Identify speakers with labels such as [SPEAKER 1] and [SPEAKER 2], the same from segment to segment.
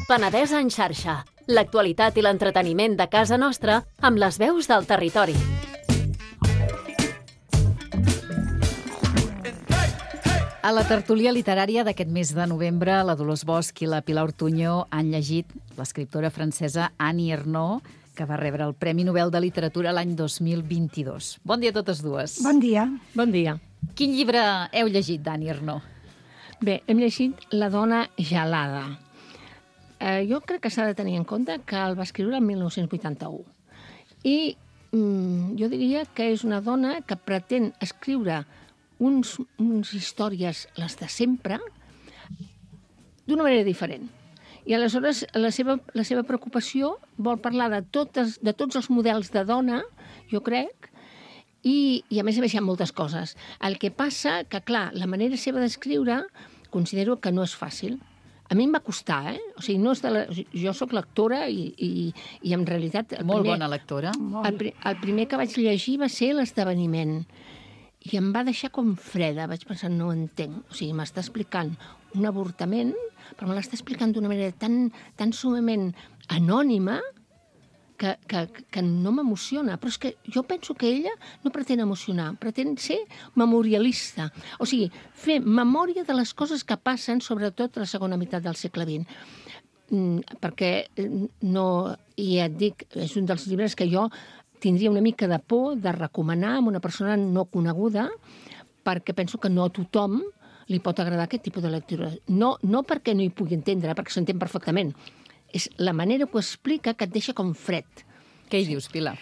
[SPEAKER 1] Penedès en xarxa. L'actualitat i l'entreteniment de casa nostra amb les veus del territori.
[SPEAKER 2] A la tertúlia literària d'aquest mes de novembre, la Dolors Bosch i la Pilar Ortuño han llegit l'escriptora francesa Annie Ernaux, que va rebre el Premi Nobel de Literatura l'any 2022. Bon dia a totes dues.
[SPEAKER 3] Bon dia.
[SPEAKER 4] Bon dia.
[SPEAKER 2] Quin llibre heu llegit d'Annie Ernaux?
[SPEAKER 4] Bé, hem llegit La dona gelada. Jo crec que s'ha de tenir en compte que el va escriure el 1981. I jo diria que és una dona que pretén escriure uns històries, les de sempre, d'una manera diferent. I aleshores la seva preocupació vol parlar de tots els models de dona, jo crec, i a més hi ha moltes coses. El que passa que, clar, la manera seva d'escriure considero que no és fàcil. A mi em va costar, O sigui, no és jo sóc lectora i en realitat...
[SPEAKER 2] Molt bona lectora.
[SPEAKER 4] El primer que vaig llegir va ser l'Esdeveniment. I em va deixar com freda. Vaig pensar, no ho entenc. O sigui, m'està explicant un avortament, però me l'està explicant d'una manera tan sumament anònima que no m'emociona. Però és que jo penso que ella no pretén emocionar, pretén ser memorialista. O sigui, fer memòria de les coses que passen, sobretot a la segona meitat del segle XX. Perquè no... I ja et dic, és un dels llibres que jo tindria una mica de por de recomanar a una persona no coneguda, perquè penso que no a tothom li pot agradar aquest tipus de lectura. No perquè no hi pugui entendre, perquè s'entén perfectament. És la manera que ho explica que et deixa com fred.
[SPEAKER 2] Què hi dius, Pilar?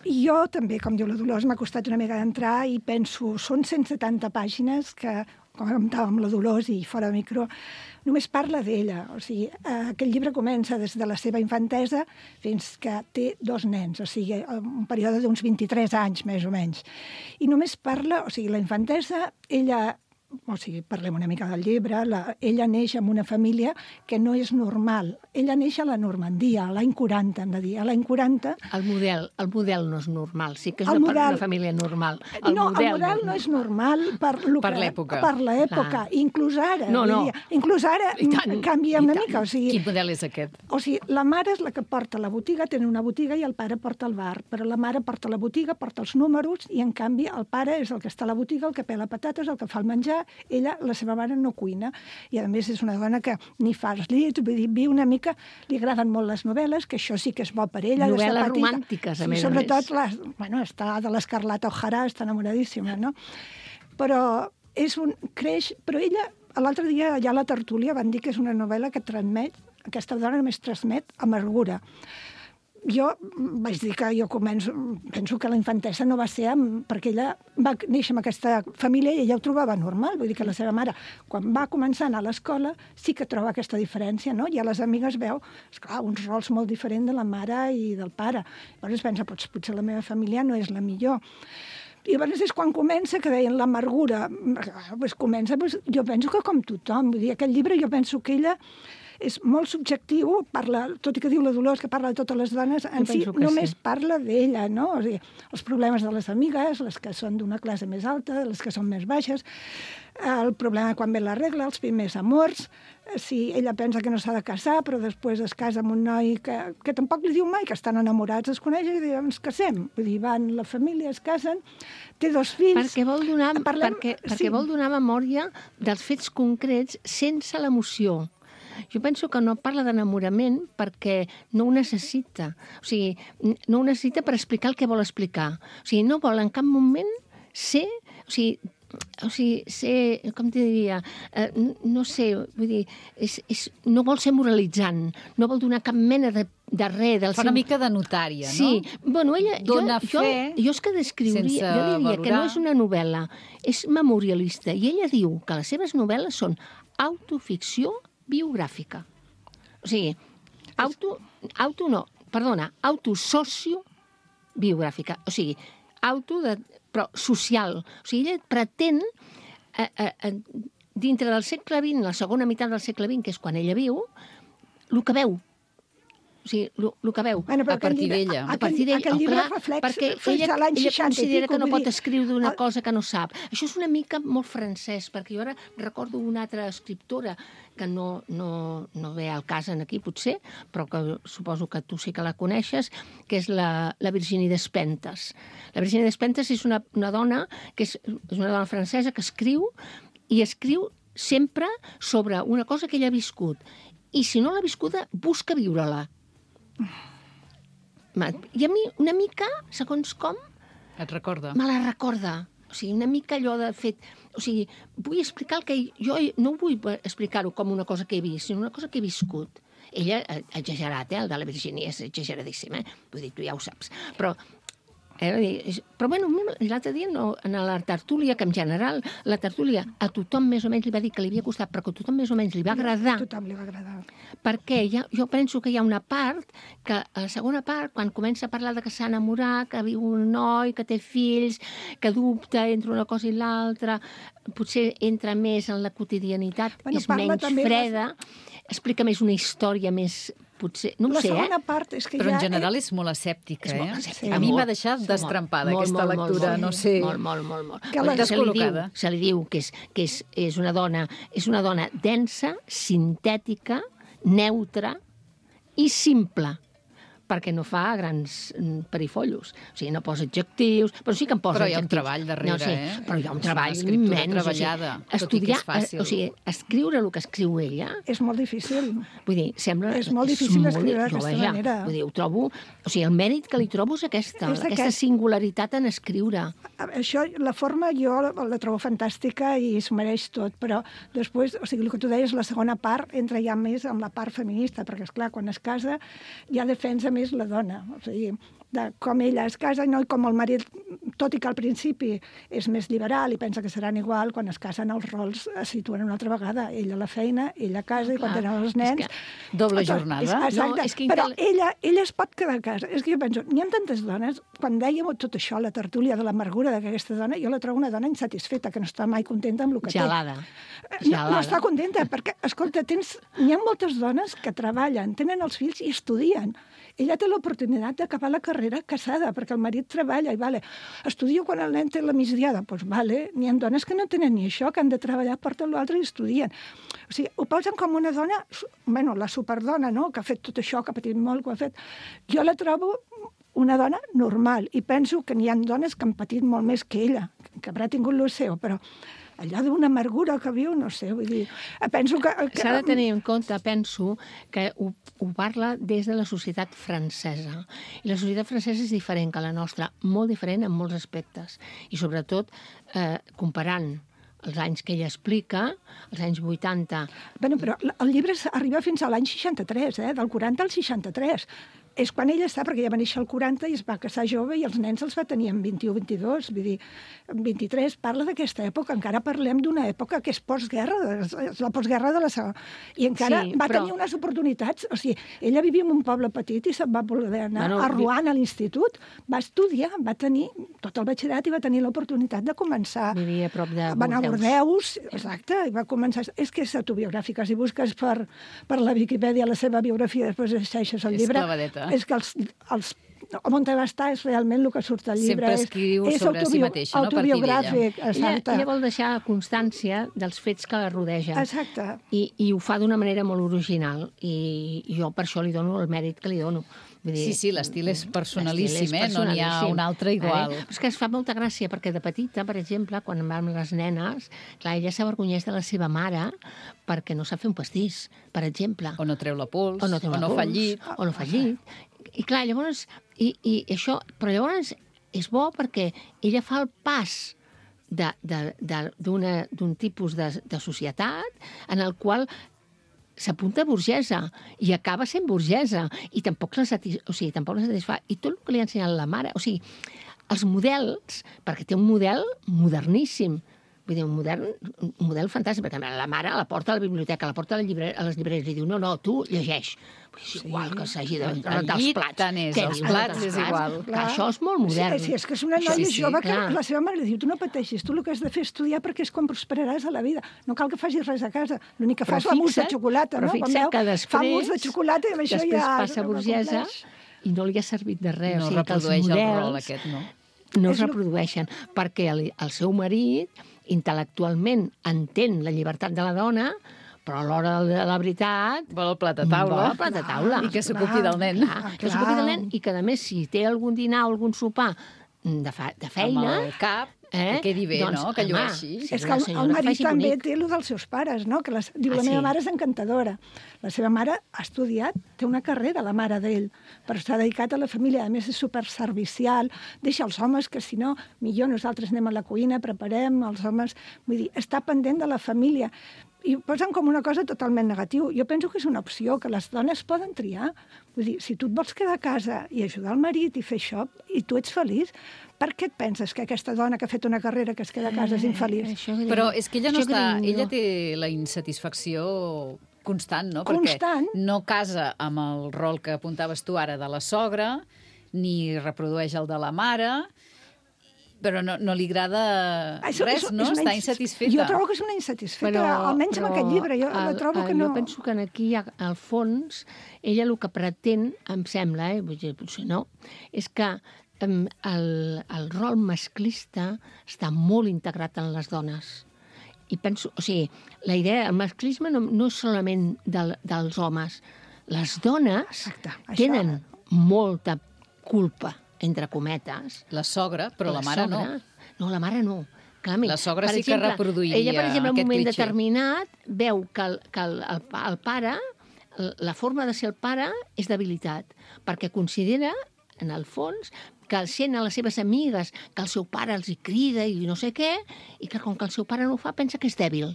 [SPEAKER 3] Jo també, com diu la Dolors, m'ha costat una mica d'entrar i penso, són 170 pàgines que, com comentàvem amb la Dolors i fora de micro, només parla d'ella. O sigui, aquest llibre comença des de la seva infantesa fins que té 2 nens, o sigui, un període d'uns 23 anys, més o menys. I només parla, o sigui, la infantesa, ella... O sigui, parlem una mica del llibre, ella neix en una família que no és normal. Ella neix a la Normandia, a l'any 40, hem de dir. A l'any 40...
[SPEAKER 4] El model no és normal, sí que és una família normal.
[SPEAKER 3] El model no és normal per
[SPEAKER 2] l'època.
[SPEAKER 3] Per l'època, inclús ara. Inclús ara canvia una mica. O sigui,
[SPEAKER 2] quin model és aquest?
[SPEAKER 3] O sigui, la mare és la que porta la botiga, tenen una botiga i el pare porta el bar. Però la mare porta la botiga, porta els números i, en canvi, el pare és el que està a la botiga, el que pela patates, el que fa el menjar. Ella, la seva mare, no cuina. I, a més, és una dona que ni fa els llits, vull dir, viu una mica... Li agraden molt les novel·les, que això sí que és bo per ella.
[SPEAKER 4] Novel·les romàntiques, a més a més.
[SPEAKER 3] Sobretot, està de l'Escarlata O'Hara, està enamoradíssima, no? Però creix... Però ella, l'altre dia, allà a la tertúlia, van dir que és una novel·la que transmet, aquesta dona només transmet amargura. Jo vaig dir que penso que la infantesa no va ser perquè ella va néixer en aquesta família i ella ho trobava normal. Vull dir que la seva mare, quan va començar a anar a l'escola, sí que troba aquesta diferència, no? I a les amigues veu, esclar, uns rols molt diferents de la mare i del pare. Llavors pensa, potser la meva família no és la millor. I llavors és quan comença, que deien l'amargura. Comença, jo penso que com tothom. Vull dir, aquest llibre jo penso que ella és molt subjectiu, tot i que diu la Dolors que parla de totes les dones, en si només parla d'ella, no? O sigui, els problemes de les amigues, les que són d'una classe més alta, les que són més baixes, el problema quan ve la regla, els primers amors, si ella pensa que no s'ha de casar, però després es casa amb un noi que tampoc li diu mai que estan enamorats, es coneixen i diuen, ens casem. Vull dir, van la família, es casen, té 2 fills...
[SPEAKER 4] Perquè vol donar memòria dels fets concrets sense l'emoció. Jo penso que no parla d'enamorament perquè no ho necessita. O sigui, no ho necessita per explicar el que vol explicar. O sigui, no vol en cap moment ser... O sigui, ser, com t'hi diria, no sé, vull dir, no vol ser moralitzant, no vol donar cap mena de res.
[SPEAKER 2] Fa una mica de notària, no?
[SPEAKER 4] Sí, bueno, ella...
[SPEAKER 2] Dóna fe
[SPEAKER 4] jo és que descriuria, jo diria que no és una novel·la, és memorialista, i ella diu que les seves novel·les són autoficció biogràfica. O sigui, autosòcio biogràfica. O sigui, però social. O sigui, ella pretén, dintre del segle XX, la segona meitat del segle XX, que és quan ella viu, el que veu. O O sigui, el que veu.
[SPEAKER 3] Bueno,
[SPEAKER 2] a partir d'ella.
[SPEAKER 3] Aquell llibre reflex
[SPEAKER 4] perquè
[SPEAKER 3] fins a l'any 60
[SPEAKER 4] considera que no pot escriure d'una
[SPEAKER 3] el-
[SPEAKER 4] cosa que no sap. Això és una mica molt francès, perquè jo ara recordo una altra escriptora que no ve al cas aquí, potser, però que suposo que tu sí que la coneixes, que és la Virginie Despentes. La Virginie Despentes és una dona que és una dona francesa que escriu sempre sobre una cosa que ella ha viscut. I si no l'ha viscuda, busca viure-la. I a mi, una mica, segons com,
[SPEAKER 2] Et recorda?
[SPEAKER 4] me la recorda. O sigui, una mica allò de fet... O sigui, vull explicar el que... Jo no vull explicar-ho com una cosa que he vist, sinó una cosa que he viscut. Ella ha exagerat, el de la Virginia és exageradíssim, Vull dir, tu ja ho saps. Però bueno, l'altre dia en la tertúlia, que en general la tertúlia a tothom més o menys li va dir que li havia costat, però que a tothom més o menys li va agradar.
[SPEAKER 3] A tothom li va agradar.
[SPEAKER 4] Perquè jo penso que hi ha una part, que a la segona part, quan comença a parlar de que s'ha enamorat, que viu un noi, que té fills, que dubta entre una cosa i l'altra, potser entra més en la quotidianitat, és menys freda, explica més una història més... Potser, no ho sé,
[SPEAKER 3] La segona part és que
[SPEAKER 2] Però en
[SPEAKER 3] ja...
[SPEAKER 2] general és molt escèptica,
[SPEAKER 4] És molt escèptica,
[SPEAKER 2] A mi
[SPEAKER 4] molt.
[SPEAKER 2] m'ha deixat destrempada
[SPEAKER 4] Molt,
[SPEAKER 2] aquesta
[SPEAKER 4] molt,
[SPEAKER 2] lectura,
[SPEAKER 4] molt,
[SPEAKER 2] no sé...
[SPEAKER 4] Molt.
[SPEAKER 3] Que la
[SPEAKER 2] descol·locada.
[SPEAKER 4] Se li diu que és una dona densa, sintètica, neutra i simple, perquè no fa grans perifollos. O sigui, no posa adjectius, però sí que en posa
[SPEAKER 2] Però hi ha un
[SPEAKER 4] adjectius.
[SPEAKER 2] treball darrere,
[SPEAKER 4] Però hi ha un treball
[SPEAKER 2] És una escriptura
[SPEAKER 4] immens.
[SPEAKER 2] treballada, tot i que és fàcil.
[SPEAKER 4] O sigui, escriure el que escriu ella,
[SPEAKER 3] És molt difícil.
[SPEAKER 4] vull dir, sembla...
[SPEAKER 3] És molt difícil escriure d'aquesta
[SPEAKER 4] jo,
[SPEAKER 3] manera.
[SPEAKER 4] Vull dir, ho trobo... O sigui, el mèrit que li trobo és aquesta singularitat en escriure.
[SPEAKER 3] Això, la forma jo la trobo fantàstica i s'ho mereix tot, però després, o sigui, el que tu deies, la segona part entra ja més en la part feminista, perquè, esclar, quan es casa ja defensa més la dona, o sigui, de com ella es casa i com el marit, tot i que al principi és més liberal i pensa que seran igual, quan es casen els rols es situen una altra vegada. Ella a la feina, ella a casa i quan tenen els nens...
[SPEAKER 2] Doble jornada.
[SPEAKER 3] Exacte, però ella es pot quedar a casa. És que jo penso, n'hi ha tantes dones, quan dèiem tot això, la tertúlia de l'amargura d'aquesta dona, jo la trobo una dona insatisfeta, que no està mai contenta amb el que
[SPEAKER 4] Gelada.
[SPEAKER 3] té. No està contenta, perquè, escolta, n'hi ha moltes dones que treballen, tenen els fills i estudien. Ella té l'oportunitat d'acabar la carrera casada, perquè el marit treballa i, estudio quan el nen té la migdiada. Doncs, n'hi ha dones que no tenen ni això, que han de treballar, porten l'altre i estudien. O sigui, ho posen com una dona, la superdona, no?, que ha fet tot això, que ha patit molt, que ho ha fet. Jo la trobo una dona normal, i penso que n'hi ha dones que han patit molt més que ella, que haurà tingut el seu, però allò d'una amargura que viu, no sé, vull dir... Penso que...
[SPEAKER 4] S'ha de tenir en compte, penso, que ho parla des de la societat francesa. I la societat francesa és diferent que la nostra, molt diferent en molts aspectes. I sobretot, comparant els anys que ella explica, els anys 80...
[SPEAKER 3] Bueno, però el llibre arriba fins a l'any 63, del 40 al 63. És quan ella està, perquè ella va néixer al 40 i es va casar jove i els nens els va tenir en 21-22, vull dir, en 23. Parla d'aquesta època, encara parlem d'una època que és postguerra, és la postguerra de la segona. I encara tenir unes oportunitats, o sigui, ella vivia en un poble petit i se'n va voler anar a Rouen, a l'institut, va estudiar, va tenir tot el batxillerat i va tenir l'oportunitat de començar...
[SPEAKER 4] Vivia a prop de Bordeus.
[SPEAKER 3] Va anar a Bordeus, exacte, i va començar... És que és autobiogràfica, si busques per la Viquipèdia la seva biografia, després deixes el llibre...
[SPEAKER 2] És clavadeta.
[SPEAKER 3] És que on va estar és realment el que surt al llibre.
[SPEAKER 2] Sempre escriu sobre si mateixa, no?
[SPEAKER 3] Autobiogràfic, exacte.
[SPEAKER 4] Ella vol deixar constància dels fets que la rodegen.
[SPEAKER 3] Exacte.
[SPEAKER 4] I ho fa d'una manera molt original. I jo per això li dono el mèrit que li dono.
[SPEAKER 2] Sí, l'estil és personalíssim, no n'hi ha un altre igual.
[SPEAKER 4] Però és que es fa molta gràcia, perquè de petita, per exemple, quan vam les nenes, clar, ella s'avergonyeix de la seva mare perquè no sap fer un pastís, per exemple.
[SPEAKER 2] O no treu la pols, o no fa llit.
[SPEAKER 4] O no fa llit. I clar, llavors, però llavors és bo perquè ella fa el pas d'un tipus de societat en el qual s'apunta burgesa i acaba sent burgesa i tampoc la satisfà. I tot el que li ha ensenyat la mare, o sigui, els models, perquè té un model moderníssim, Vull dir, un model fantàstic, perquè la mare la porta a la biblioteca, la porta a les llibreries, i diu, no, tu llegeix. És igual que s'hagi de rentar els plats.
[SPEAKER 2] Tant és, els plats és igual.
[SPEAKER 4] Això és molt modern.
[SPEAKER 3] Sí, és que és una noia jove que la seva mare diu, tu no pateixis, tu el que has de fer és estudiar perquè és quan prosperaràs a la vida. No cal que facis res a casa. L'únic que fa és la mousse de xocolata, no?
[SPEAKER 4] Però fixa't que després...
[SPEAKER 3] Fa mousse de xocolata i amb això ja...
[SPEAKER 4] Després passa burgesa i no li ha servit de res.
[SPEAKER 2] No
[SPEAKER 4] o sigui,
[SPEAKER 2] reprodueix el rol aquest, no?
[SPEAKER 4] No es reprodueixen, perquè el seu marit intel·lectualment entén la llibertat de la dona, però a l'hora de la veritat...
[SPEAKER 2] Vol el plat a taula.
[SPEAKER 4] Vol el plat a taula.
[SPEAKER 2] I que s'ocupi del nen.
[SPEAKER 4] Que s'ocupi del nen i que, a més, si té algun dinar o algun sopar de feina...
[SPEAKER 2] Amb el cap, que quedi bé,
[SPEAKER 4] doncs,
[SPEAKER 2] no? Que llueixi.
[SPEAKER 3] És que el marit també té el dels seus pares, no? Que diu, la meva mare és encantadora. La seva mare ha estudiat, té una carrera, la mare d'ell, però s'ha dedicat a la família. A més, és superservicial, deixa els homes, que si no, millor nosaltres anem a la cuina, preparem, els homes... Vull dir, està pendent de la família. I ho posen com una cosa totalment negativa. Jo penso que és una opció, que les dones poden triar. Vull dir, si tu et vols quedar a casa i ajudar el marit i fer això, i tu ets feliç, per què et penses que aquesta dona que ha fet una carrera que es queda a casa és infeliç?
[SPEAKER 2] Però és que ella no està... Ella té la insatisfacció constant, no?
[SPEAKER 3] Constant.
[SPEAKER 2] Perquè no casa amb el rol que apuntaves tu ara de la sogra, ni reprodueix el de la mare, però no li agrada res, no? Està insatisfeta.
[SPEAKER 3] Jo trobo que és una insatisfeta, almenys amb aquest llibre. Jo trobo que no...
[SPEAKER 4] Jo penso que aquí, al fons, ella el que pretén, em sembla, potser no, és que el rol masclista està molt integrat en les dones. I penso, o sigui, la idea, el masclisme no és solament dels homes. Les dones tenen molta culpa, entre cometes.
[SPEAKER 2] La sogra, però la mare no.
[SPEAKER 4] No, la mare no. Clarament.
[SPEAKER 2] La sogra sí que reproduiria
[SPEAKER 4] ella, per exemple, en un moment
[SPEAKER 2] clitxer.
[SPEAKER 4] Determinat, veu que el pare, la forma de ser el pare és debilitat, perquè considera, en el fons, que sent a les seves amigues que el seu pare els hi crida i no sé què, i que com que el seu pare no ho fa, pensa que és dèbil.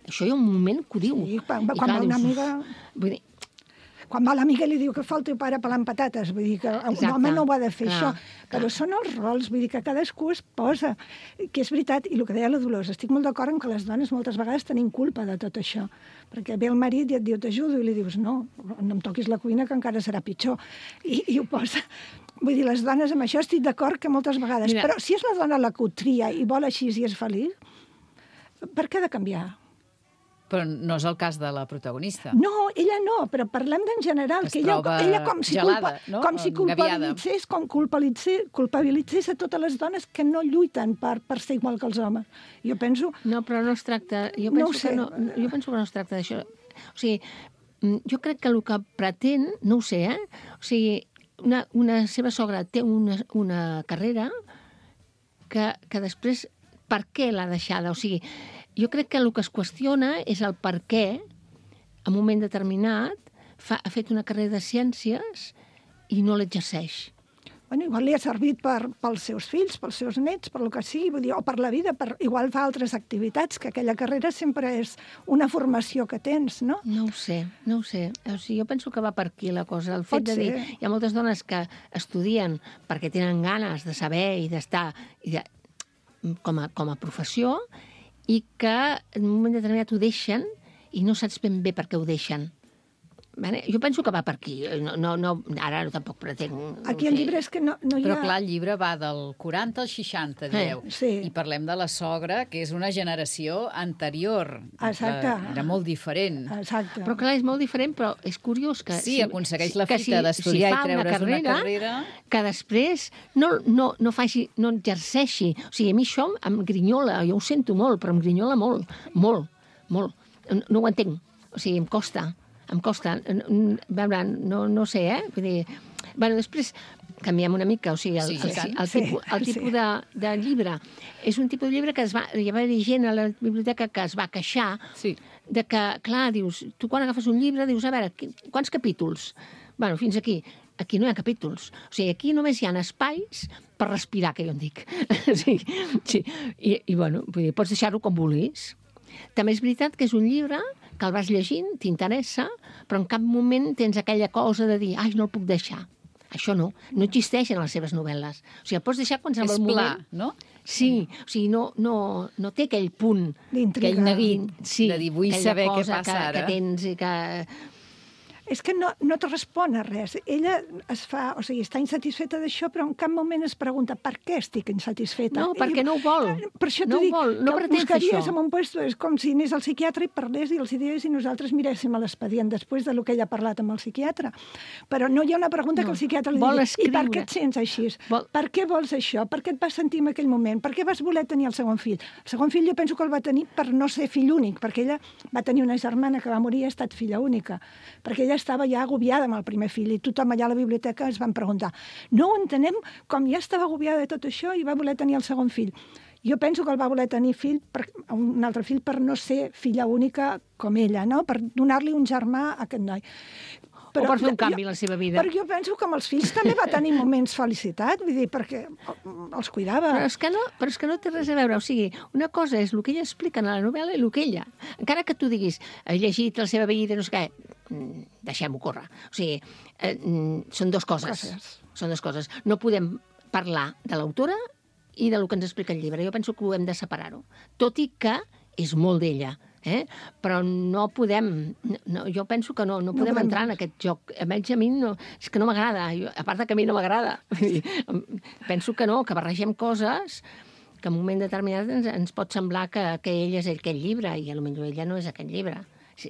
[SPEAKER 4] Això hi ha un moment que ho diu.
[SPEAKER 3] Sí, quan va una amiga... Vull dir, quan va l'amiga i li diu que fa el teu pare pelant patates, vull dir que un home no ho ha de fer, això. Però són els rols, vull dir que cadascú es posa, que és veritat, i el que deia la Dolors, estic molt d'acord en que les dones moltes vegades tenim culpa de tot això, perquè ve el marit i et diu t'ajudo, i li dius no em toquis la cuina que encara serà pitjor, i ho posa. Vull dir, les dones amb això estic d'acord que moltes vegades, però si és la dona la que ho tria i vol així i és feliç, per què ha de canviar?
[SPEAKER 2] Però no és el cas de la protagonista.
[SPEAKER 3] No, ella no, però parlem d'en general, que ella com si
[SPEAKER 2] gelada, no?
[SPEAKER 3] Com si culpabilitzés a totes les dones que no lluiten per ser igual que els homes. Jo penso...
[SPEAKER 4] No, però no es tracta... Jo penso que no es tracta d'això. O sigui, jo crec que el que pretén, no ho sé, O sigui, una seva sogra té una carrera que després, per què l'ha deixada? O sigui, jo crec que el que es qüestiona és el per què, en un moment determinat, ha fet una carrera de ciències i no l'exerceix.
[SPEAKER 3] Bueno, igual li ha servit pels seus fills, pels seus nets, per el que sigui, vull dir, o per la vida, igual fa altres activitats, que aquella carrera sempre és una formació que tens, no?
[SPEAKER 4] No ho sé. O sigui, jo penso que va per aquí la cosa. El fet de dir, hi ha moltes dones que estudien perquè tenen ganes de saber i d'estar com a professió, i que en un moment determinat ho deixen i no saps ben bé per què ho deixen. Jo penso que va per aquí. Ara tampoc pretenc...
[SPEAKER 3] Aquí el llibre és que no hi ha...
[SPEAKER 2] Però clar, el llibre va del 40 al 60, dieu.
[SPEAKER 3] Sí.
[SPEAKER 2] I parlem de la sogra, que és una generació anterior.
[SPEAKER 3] Exacte.
[SPEAKER 2] Era molt diferent.
[SPEAKER 3] Exacte.
[SPEAKER 4] Però clar, és molt diferent, però és curiós que...
[SPEAKER 2] Sí, aconsegueix la fita d'estudiar i treure's una carrera...
[SPEAKER 4] Que després no exerceixi. O sigui, a mi això em grinyola, jo ho sento molt, però em grinyola molt. No ho entenc. O sigui, em costa. No sé, Vull dir... Bueno, després canviem una mica, o sigui, el tipus de llibre. És un tipus de llibre que hi va haver gent a la biblioteca que es va queixar de que, clar, dius, tu quan agafes un llibre dius, a veure, quants capítols? Bueno, fins aquí. Aquí no hi ha capítols. O sigui, aquí només hi ha espais per respirar, que jo en dic. Sí. I bueno, vull dir, pots deixar-ho com vulguis. També és veritat que és un llibre que el vas llegint, t'interessa, però en cap moment tens aquella cosa de dir, ai, no el puc deixar. Això no existeix en les seves novel·les. O sigui, el pots deixar quan sembla el moment...
[SPEAKER 2] És pla, no?
[SPEAKER 4] Sí, o sigui, no té aquell punt...
[SPEAKER 3] D'intriga.
[SPEAKER 2] Aquell neguit,
[SPEAKER 4] Sí,
[SPEAKER 2] de dir, vull
[SPEAKER 4] aquella
[SPEAKER 2] saber què
[SPEAKER 4] cosa
[SPEAKER 2] passa ara.
[SPEAKER 4] que tens i que...
[SPEAKER 3] És que no et respon a res. Ella està insatisfeta d'això, però en cap moment es pregunta per què estic insatisfeta.
[SPEAKER 4] No, perquè no ho vol.
[SPEAKER 3] Per això
[SPEAKER 4] No
[SPEAKER 3] t'ho
[SPEAKER 4] ho
[SPEAKER 3] dic,
[SPEAKER 4] vol, no
[SPEAKER 3] que
[SPEAKER 4] pretén fer
[SPEAKER 3] buscaries
[SPEAKER 4] això.
[SPEAKER 3] en un puesto, és com si anés al psiquiatre i parlés i els digués i nosaltres miréssim a l'expedient després del que ella ha parlat amb el psiquiatre. Però no hi ha una pregunta que el psiquiatre li
[SPEAKER 4] Vol
[SPEAKER 3] digui, i per
[SPEAKER 4] escriure.
[SPEAKER 3] què et sents així?
[SPEAKER 4] Vol-
[SPEAKER 3] Per què vols això? Per què et vas sentir en aquell moment? Per què vas voler tenir el segon fill? El segon fill jo penso que el va tenir per no ser fill únic, perquè ella va tenir una germana que va morir i ha estat filla única, perquè ella estava ja agobiada amb el primer fill i tothom allà a la biblioteca es van preguntar no ho entenem, com ja estava agobiada de tot això i va voler tenir el segon fill. Jo penso que el va voler tenir un altre fill per no ser filla única com ella, no? Per donar-li un germà a aquest noi.
[SPEAKER 4] O per fer un canvi en la seva vida.
[SPEAKER 3] Perquè jo penso que amb els fills també va tenir moments felicitat, vull dir, perquè els cuidava.
[SPEAKER 4] Però és que no té res a veure. O sigui, una cosa és el que ella explica en la novel·la i el que ella. Encara que tu diguis, he llegit la seva vida, no sé què, deixem-ho córrer. O sigui, són dues coses. Són dues coses. No podem parlar de l'autora i del que ens explica el llibre. Jo penso que ho hem de separar-ho. Tot i que és molt d'ella. Però no podem... jo penso que no podem entrar en aquest joc. Almenys a mi és que no m'agrada. A part que a mi no m'agrada. Penso que no, que barregem coses que en un moment determinat ens pot semblar que ell és aquell llibre i potser ella no és aquell llibre.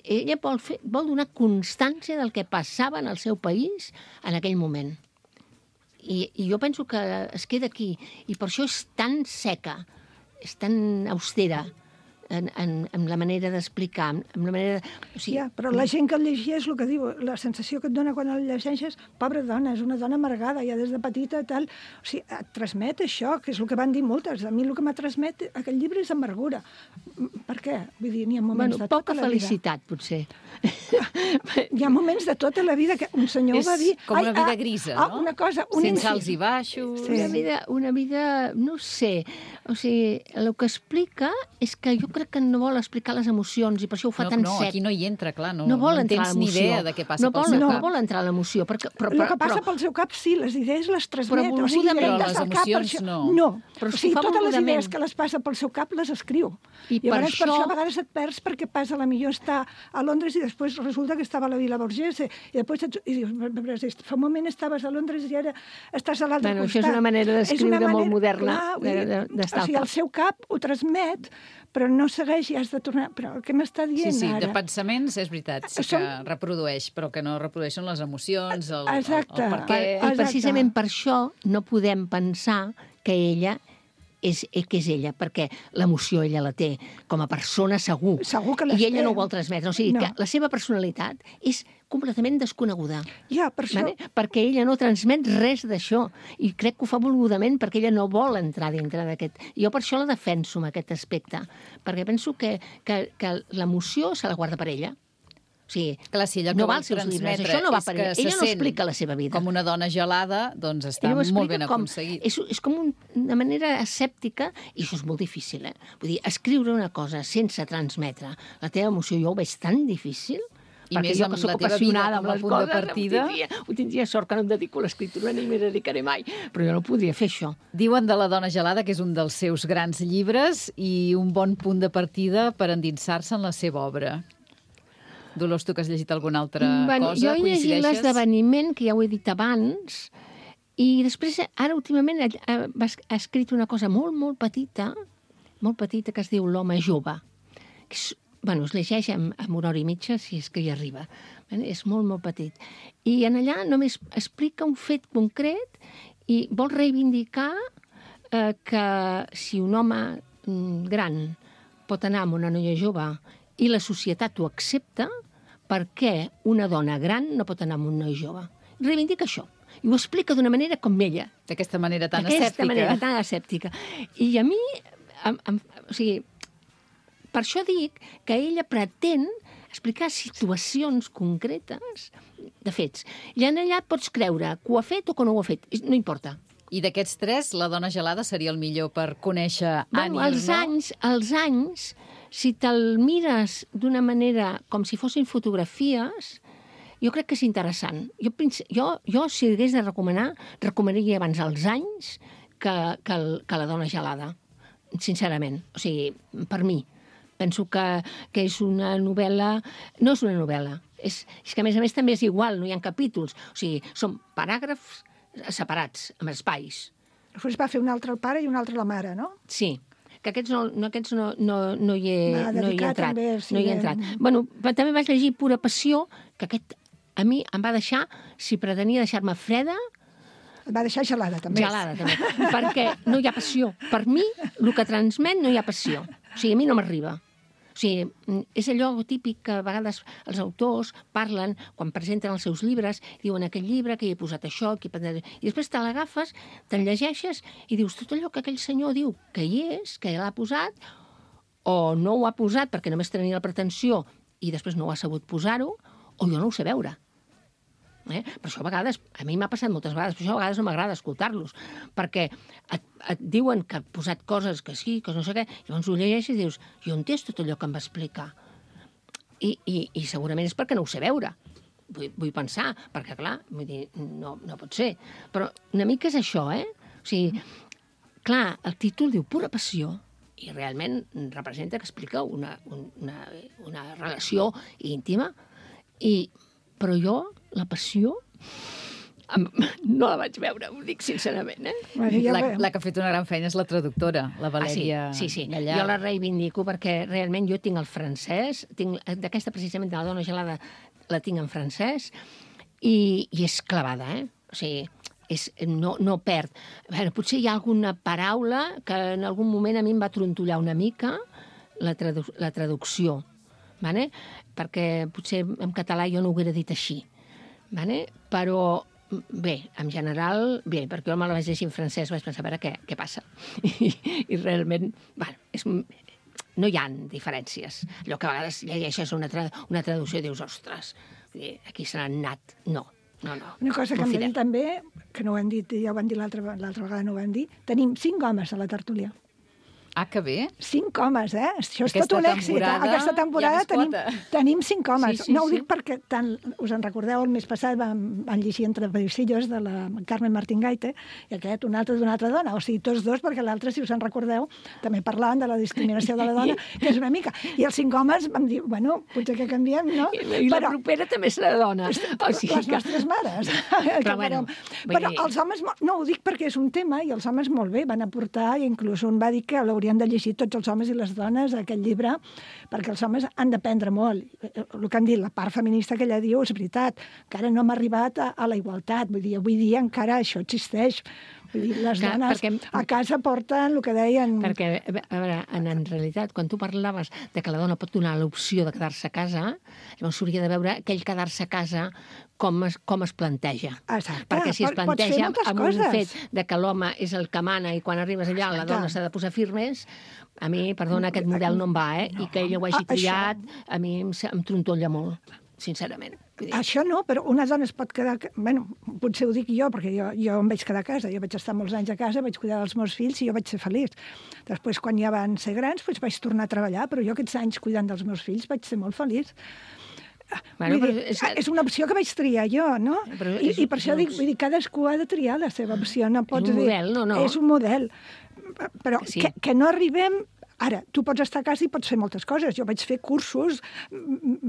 [SPEAKER 4] Ella vol donar constància del que passava en el seu país en aquell moment. I jo penso que es queda aquí. I per això és tan seca, és tan austera, en la manera d'explicar, en la manera... O sigui,
[SPEAKER 3] però la gent que el llegia és el que diu, la sensació que et dona quan el llegeixes, pobra dona, és una dona amargada, ja des de petita, tal... O sigui, et transmet això, que és el que van dir moltes. A mi el que m'ha transmet aquest llibre és amargura. Per què? Vull dir, n'hi ha moments de tota la vida.
[SPEAKER 4] Poca felicitat, potser.
[SPEAKER 3] Hi ha moments de tota la vida que un senyor va dir...
[SPEAKER 2] És com una vida grisa, no?
[SPEAKER 3] Una cosa...
[SPEAKER 2] Sense alts i baixos...
[SPEAKER 4] Sí. Una vida, no sé... O sigui, el que explica és que jo crec que no vol explicar les emocions i per això ho fa tan sec.
[SPEAKER 2] No, aquí no hi entra, clar, no
[SPEAKER 4] vol entrar
[SPEAKER 2] tens ni idea de què passa pel seu cap.
[SPEAKER 4] No vol entrar a l'emoció.
[SPEAKER 3] El que passa pel seu cap, sí, les idees les transmet.
[SPEAKER 4] Però volgudament,
[SPEAKER 2] però les emocions no.
[SPEAKER 3] No,
[SPEAKER 4] però
[SPEAKER 3] o sigui, totes les idees que les passa pel seu cap les escriu.
[SPEAKER 4] I
[SPEAKER 3] per
[SPEAKER 4] això
[SPEAKER 3] a vegades et perds perquè passa, a la millor està a Londres i després resulta que estava a la Vila Borghese i després dius, fa un moment estaves a Londres i ara estàs a l'altre costat.
[SPEAKER 4] Això és una manera d'escriure molt moderna, d'estar
[SPEAKER 3] o sigui, el seu cap ho transmet, però no segueix i has de tornar... Però el que m'està dient
[SPEAKER 2] ara...
[SPEAKER 3] Sí,
[SPEAKER 2] de pensaments és veritat, sí que reprodueix, però que no reprodueixen les emocions, el per què...
[SPEAKER 4] I precisament per això no podem pensar que ella és ella, perquè l'emoció ella la té com a persona segur.
[SPEAKER 3] Segur que les té.
[SPEAKER 4] I ella no ho vol transmetre. O sigui, que la seva personalitat és completament desconeguda.
[SPEAKER 3] Ja, per això...
[SPEAKER 4] Perquè ella no transmet res d'això. I crec que ho fa volgudament perquè ella no vol entrar dintre d'aquest... Jo per això la defenso en aquest aspecte. Perquè penso que l'emoció se la guarda per ella. O sigui,
[SPEAKER 2] clar, si ella
[SPEAKER 4] no va als seus llibres, això no va per ella. Ella no explica la seva vida.
[SPEAKER 2] Com una dona gelada, doncs està molt ben aconseguit.
[SPEAKER 4] És com una manera escèptica, i això és molt difícil, Vull dir, escriure una cosa sense transmetre la teva emoció, jo ho veig tan difícil,
[SPEAKER 2] i
[SPEAKER 4] perquè
[SPEAKER 2] més
[SPEAKER 4] jo
[SPEAKER 2] amb
[SPEAKER 4] que soc
[SPEAKER 2] la teva vida
[SPEAKER 4] apassionada
[SPEAKER 2] com a punt de partida...
[SPEAKER 4] Ho tindria sort que no em dedico a l'escriptura ni m'hi dedicaré mai, però jo no podria fer això.
[SPEAKER 2] Diuen de La dona gelada que és un dels seus grans llibres i un bon punt de partida per endinsar-se en la seva obra. Dolors, tu que has llegit alguna altra cosa,
[SPEAKER 4] jo he llegit
[SPEAKER 2] coincideixes?
[SPEAKER 4] l'esdeveniment, que ja ho he dit abans, i després, ara últimament, ha escrit una cosa molt, molt petita, que es diu L'home jove. Es llegeix amb una hora i mitja, si és que hi arriba. És molt, molt petit. I en allà només explica un fet concret i vol reivindicar que si un home gran pot anar amb una noia jove i la societat ho accepta, per què una dona gran no pot anar amb un noi jove? Reivindica això. I ho explica d'una manera com ella.
[SPEAKER 2] D'aquesta manera tan escèptica.
[SPEAKER 4] D'aquesta manera tan escèptica. I a mi, o sigui, per això dic que ella pretén explicar situacions concretes de fets. I en allà pots creure que ho ha fet o que no ho ha fet. No importa.
[SPEAKER 2] I d'aquests tres, La dona gelada seria el millor per conèixer Annie Ernaux?
[SPEAKER 4] Els anys, si te'l mires d'una manera com si fossin fotografies, jo crec que és interessant. Jo si hagués de recomanar, recomanaria abans els anys que La dona gelada. sincerament. O sigui, per mi. Penso que és una novel·la... No és una novel·la. És que, a més, també és igual, no hi ha capítols. O sigui, són paràgrafs separats, amb espais.
[SPEAKER 3] Després va fer un altre el pare i un altre la mare, no?
[SPEAKER 4] Sí, que aquests no hi he entrat.
[SPEAKER 3] També, sí,
[SPEAKER 4] no hi he entrat. Bueno, també vaig llegir Pura passió, que aquest a mi em va deixar, si pretenia deixar-me freda...
[SPEAKER 3] Et va deixar gelada, també.
[SPEAKER 4] Gelada, també. Perquè no hi ha passió. Per mi, el que transmet no hi ha passió. O sigui, a mi no m'arriba. O sigui, és allò típic que a vegades els autors parlen, quan presenten els seus llibres, diuen aquell llibre que hi he posat això, i després te l'agafes, te'n llegeixes i dius tot allò que aquell senyor diu que hi és, que l'ha posat, o no ho ha posat perquè només tenia la pretensió i després no ho ha sabut posar-ho, o jo no ho sé veure. Per això a vegades, a mi m'ha passat moltes vegades, per això a vegades no m'agrada escoltar-los, perquè et diuen que ha posat coses que sí, que no sé què, i llavors ho llegeixes i dius, jo entès tot allò que em va explicar. I segurament és perquè no ho sé veure. Vull pensar, perquè clar, vull dir, no pot ser. Però una mica és això, O sigui, clar, el títol diu Pura passió, i realment representa que explica una relació íntima, però jo, la passió, no la vaig veure, ho dic sincerament.
[SPEAKER 2] La que ha fet una gran feina és la traductora, la Valèria Gallard.
[SPEAKER 4] Jo la reivindico perquè realment jo tinc el francès, d'aquesta precisament de La dona gelada la tinc en francès, i és clavada, O sigui, no perd. Bueno, potser hi ha alguna paraula que en algun moment a mi em va trontollar una mica, la traducció, perquè potser en català jo no ho hauria dit així, però bé, en general, bé, perquè jo me la vaig llegir en francès, vaig pensar, a veure què passa. I realment, no hi ha diferències. Allò que a vegades llegeixes una traducció i dius, ostres, aquí se n'han anat. No.
[SPEAKER 3] Una cosa que hem de dir també, que no ho hem dit, ja ho vam dir l'altra vegada, no ho vam dir, tenim 5 homes a la tertúlia.
[SPEAKER 2] Ah, que bé.
[SPEAKER 3] 5 homes, Això és tot un èxit. Aquesta temporada tenim 5 homes. No ho dic perquè us en recordeu, el mes passat vam llegir Entre paisillos de la Carmen Martín Gaite i aquest, un altre d'una altra dona. O sigui, tots dos, perquè l'altre, si us en recordeu, també parlaven de la discriminació de la dona, que és una mica. I els 5 homes vam dir, bueno, potser que canviem, no?
[SPEAKER 4] I la propera també serà dona.
[SPEAKER 3] Les nostres mares. Però els homes, no ho dic perquè és un tema, i els homes molt bé van aportar, i inclús un va dir que l'haurien de llegir tots els homes i les dones aquest llibre, perquè els homes han d'aprendre molt. El que han dit, la part feminista que ella diu és veritat, encara no hem arribat a la igualtat, vull dir, avui dia encara això existeix. Vull dir, les dones a casa porten el que deien...
[SPEAKER 4] Perquè, a veure, en realitat, quan tu parlaves de que la dona pot donar l'opció de quedar-se a casa, llavors s'hauria de veure aquell quedar-se a casa com es planteja.
[SPEAKER 3] Exacte.
[SPEAKER 4] Perquè si es planteja amb un fet de que l'home és el que mana i quan arribes allà la dona s'ha de posar firmes, a mi, perdona, aquest model no em va, I que ella ho hagi triat, a mi em trontolla molt, sincerament.
[SPEAKER 3] Això no, però una dona es pot quedar... Bueno, potser ho dic jo, perquè jo em vaig quedar a casa. Jo vaig estar molts anys a casa, vaig cuidar dels meus fills i jo vaig ser feliç. Després, quan ja van ser grans, vaig tornar a treballar, però jo aquests anys cuidant dels meus fills vaig ser molt feliç. És una opció que vaig triar jo, no? I per això dic, cadascú ha de triar la seva opció. No pots dir...
[SPEAKER 4] És un model, no?
[SPEAKER 3] És un model. Però que no arribem... Ara, tu pots estar a casa i pots fer moltes coses. Jo vaig fer cursos,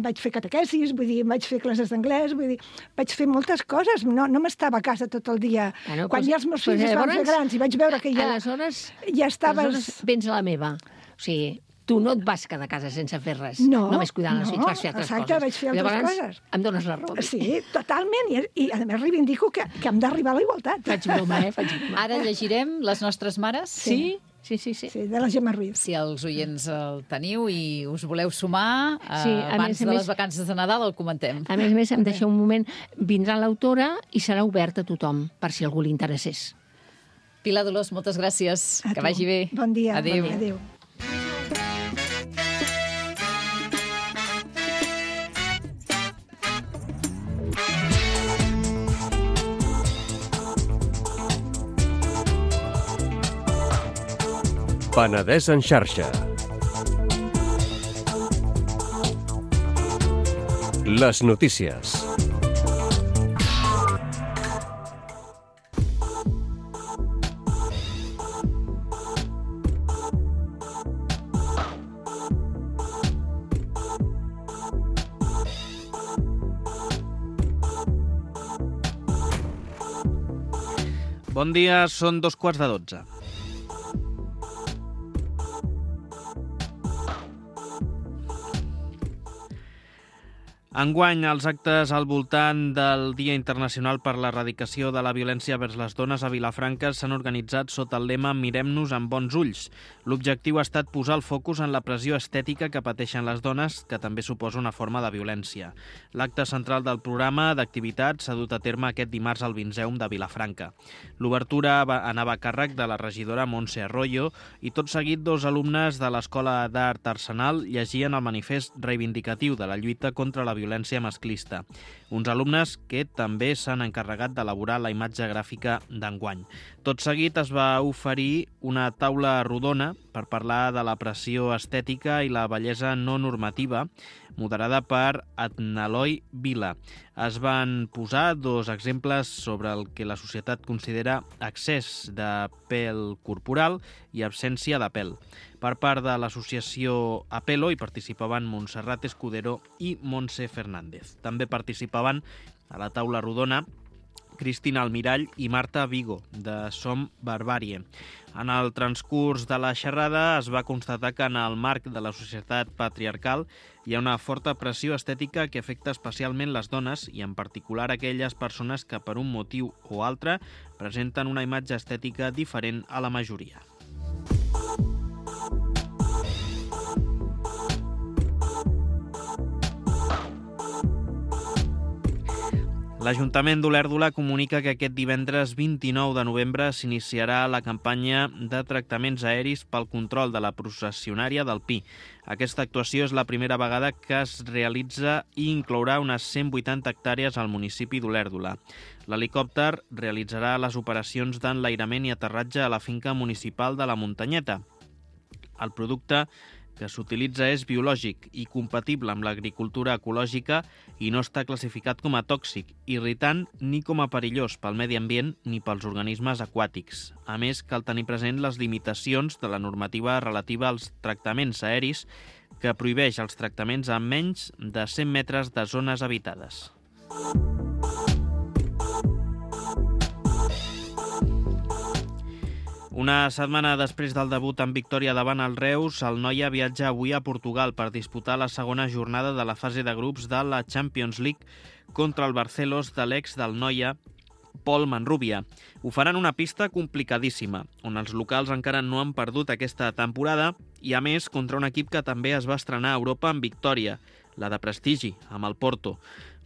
[SPEAKER 3] vaig fer catequesis, vull dir, vaig fer classes d'anglès, vull dir, vaig fer moltes coses. No m'estava a casa tot el dia. Quan ja els meus fills es van fer grans i vaig veure que ja estaves...
[SPEAKER 4] Aleshores vens a la meva. O sigui, tu no et vas quedar a casa sense fer res. Només cuidant els fills, vas fer altres coses.
[SPEAKER 3] Exacte, vaig fer altres coses.
[SPEAKER 4] Em dones la raó.
[SPEAKER 3] Sí, totalment. I a més reivindico que hem d'arribar a la igualtat.
[SPEAKER 4] Faig broma, Faig broma.
[SPEAKER 2] Ara llegirem Les nostres mares?
[SPEAKER 3] Sí. Sí, de la Gemma Ruiz.
[SPEAKER 2] Si els oients el teniu i us voleu sumar, abans de les vacances de Nadal el comentem.
[SPEAKER 4] A més, em deixeu un moment, vindrà l'autora i serà obert a tothom, per si algú li interessés.
[SPEAKER 2] Pilar Dolors, moltes gràcies. Que vagi bé.
[SPEAKER 3] Bon dia.
[SPEAKER 2] Adéu.
[SPEAKER 3] Adéu.
[SPEAKER 5] Penedès en xarxa. Les notícies.
[SPEAKER 6] Bon dia, són 11:45. Enguany, els actes al voltant del Dia Internacional per l'Erradicació de la Violència vers les Dones a Vilafranca s'han organitzat sota el lema Mirem-nos amb bons ulls. L'objectiu ha estat posar el focus en la pressió estètica que pateixen les dones, que també suposa una forma de violència. L'acte central del programa d'activitats s'ha dut a terme aquest dimarts al Vinceum de Vilafranca. L'obertura anava a càrrec de la regidora Montse Arroyo i tot seguit 2 alumnes de l'Escola d'Art Arsenal llegien el manifest reivindicatiu de la lluita contra la violència masclista. Uns alumnes que també s'han encarregat d'elaborar la imatge gràfica d'enguany. Tot seguit es va oferir una taula rodona per parlar de la pressió estètica i la bellesa no normativa, moderada per Adnaloi Vila. Es van posar 2 exemples sobre el que la societat considera excés de pèl corporal i absència de pèl. Per part de l'associació Apelo hi participaven Montserrat Escudero i Montse Fernández. També participaven a la taula rodona Cristina Almirall i Marta Vigo, de Som Barbàrie. En el transcurs de la xerrada es va constatar que en el marc de la societat patriarcal hi ha una forta pressió estètica que afecta especialment les dones i en particular aquelles persones que per un motiu o altre presenten una imatge estètica diferent a la majoria. L'Ajuntament d'Olèrdola comunica que aquest divendres 29 de novembre s'iniciarà la campanya de tractaments aeris pel control de la processionària del Pi. Aquesta actuació és la primera vegada que es realitza i inclourà unes 180 hectàrees al municipi d'Olèrdola. L'helicòpter realitzarà les operacions d'enlairament i aterratge a la finca municipal de la Muntanyeta. El producte que s'utilitza és biològic i compatible amb l'agricultura ecològica i no està classificat com a tòxic, irritant ni com a perillós pel medi ambient ni pels organismes aquàtics. A més, cal tenir present les limitacions de la normativa relativa als tractaments aeris que prohibeix els tractaments a menys de 100 metres de zones habitades. Una setmana després del debut en victòria davant el Reus, el Noia viatja avui a Portugal per disputar la segona jornada de la fase de grups de la Champions League contra el Barcelos de l'ex del Noia, Pol Manrubia. Ho faran una pista complicadíssima, on els locals encara no han perdut aquesta temporada i, a més, contra un equip que també es va estrenar a Europa en victòria, la de prestigi, amb el Porto.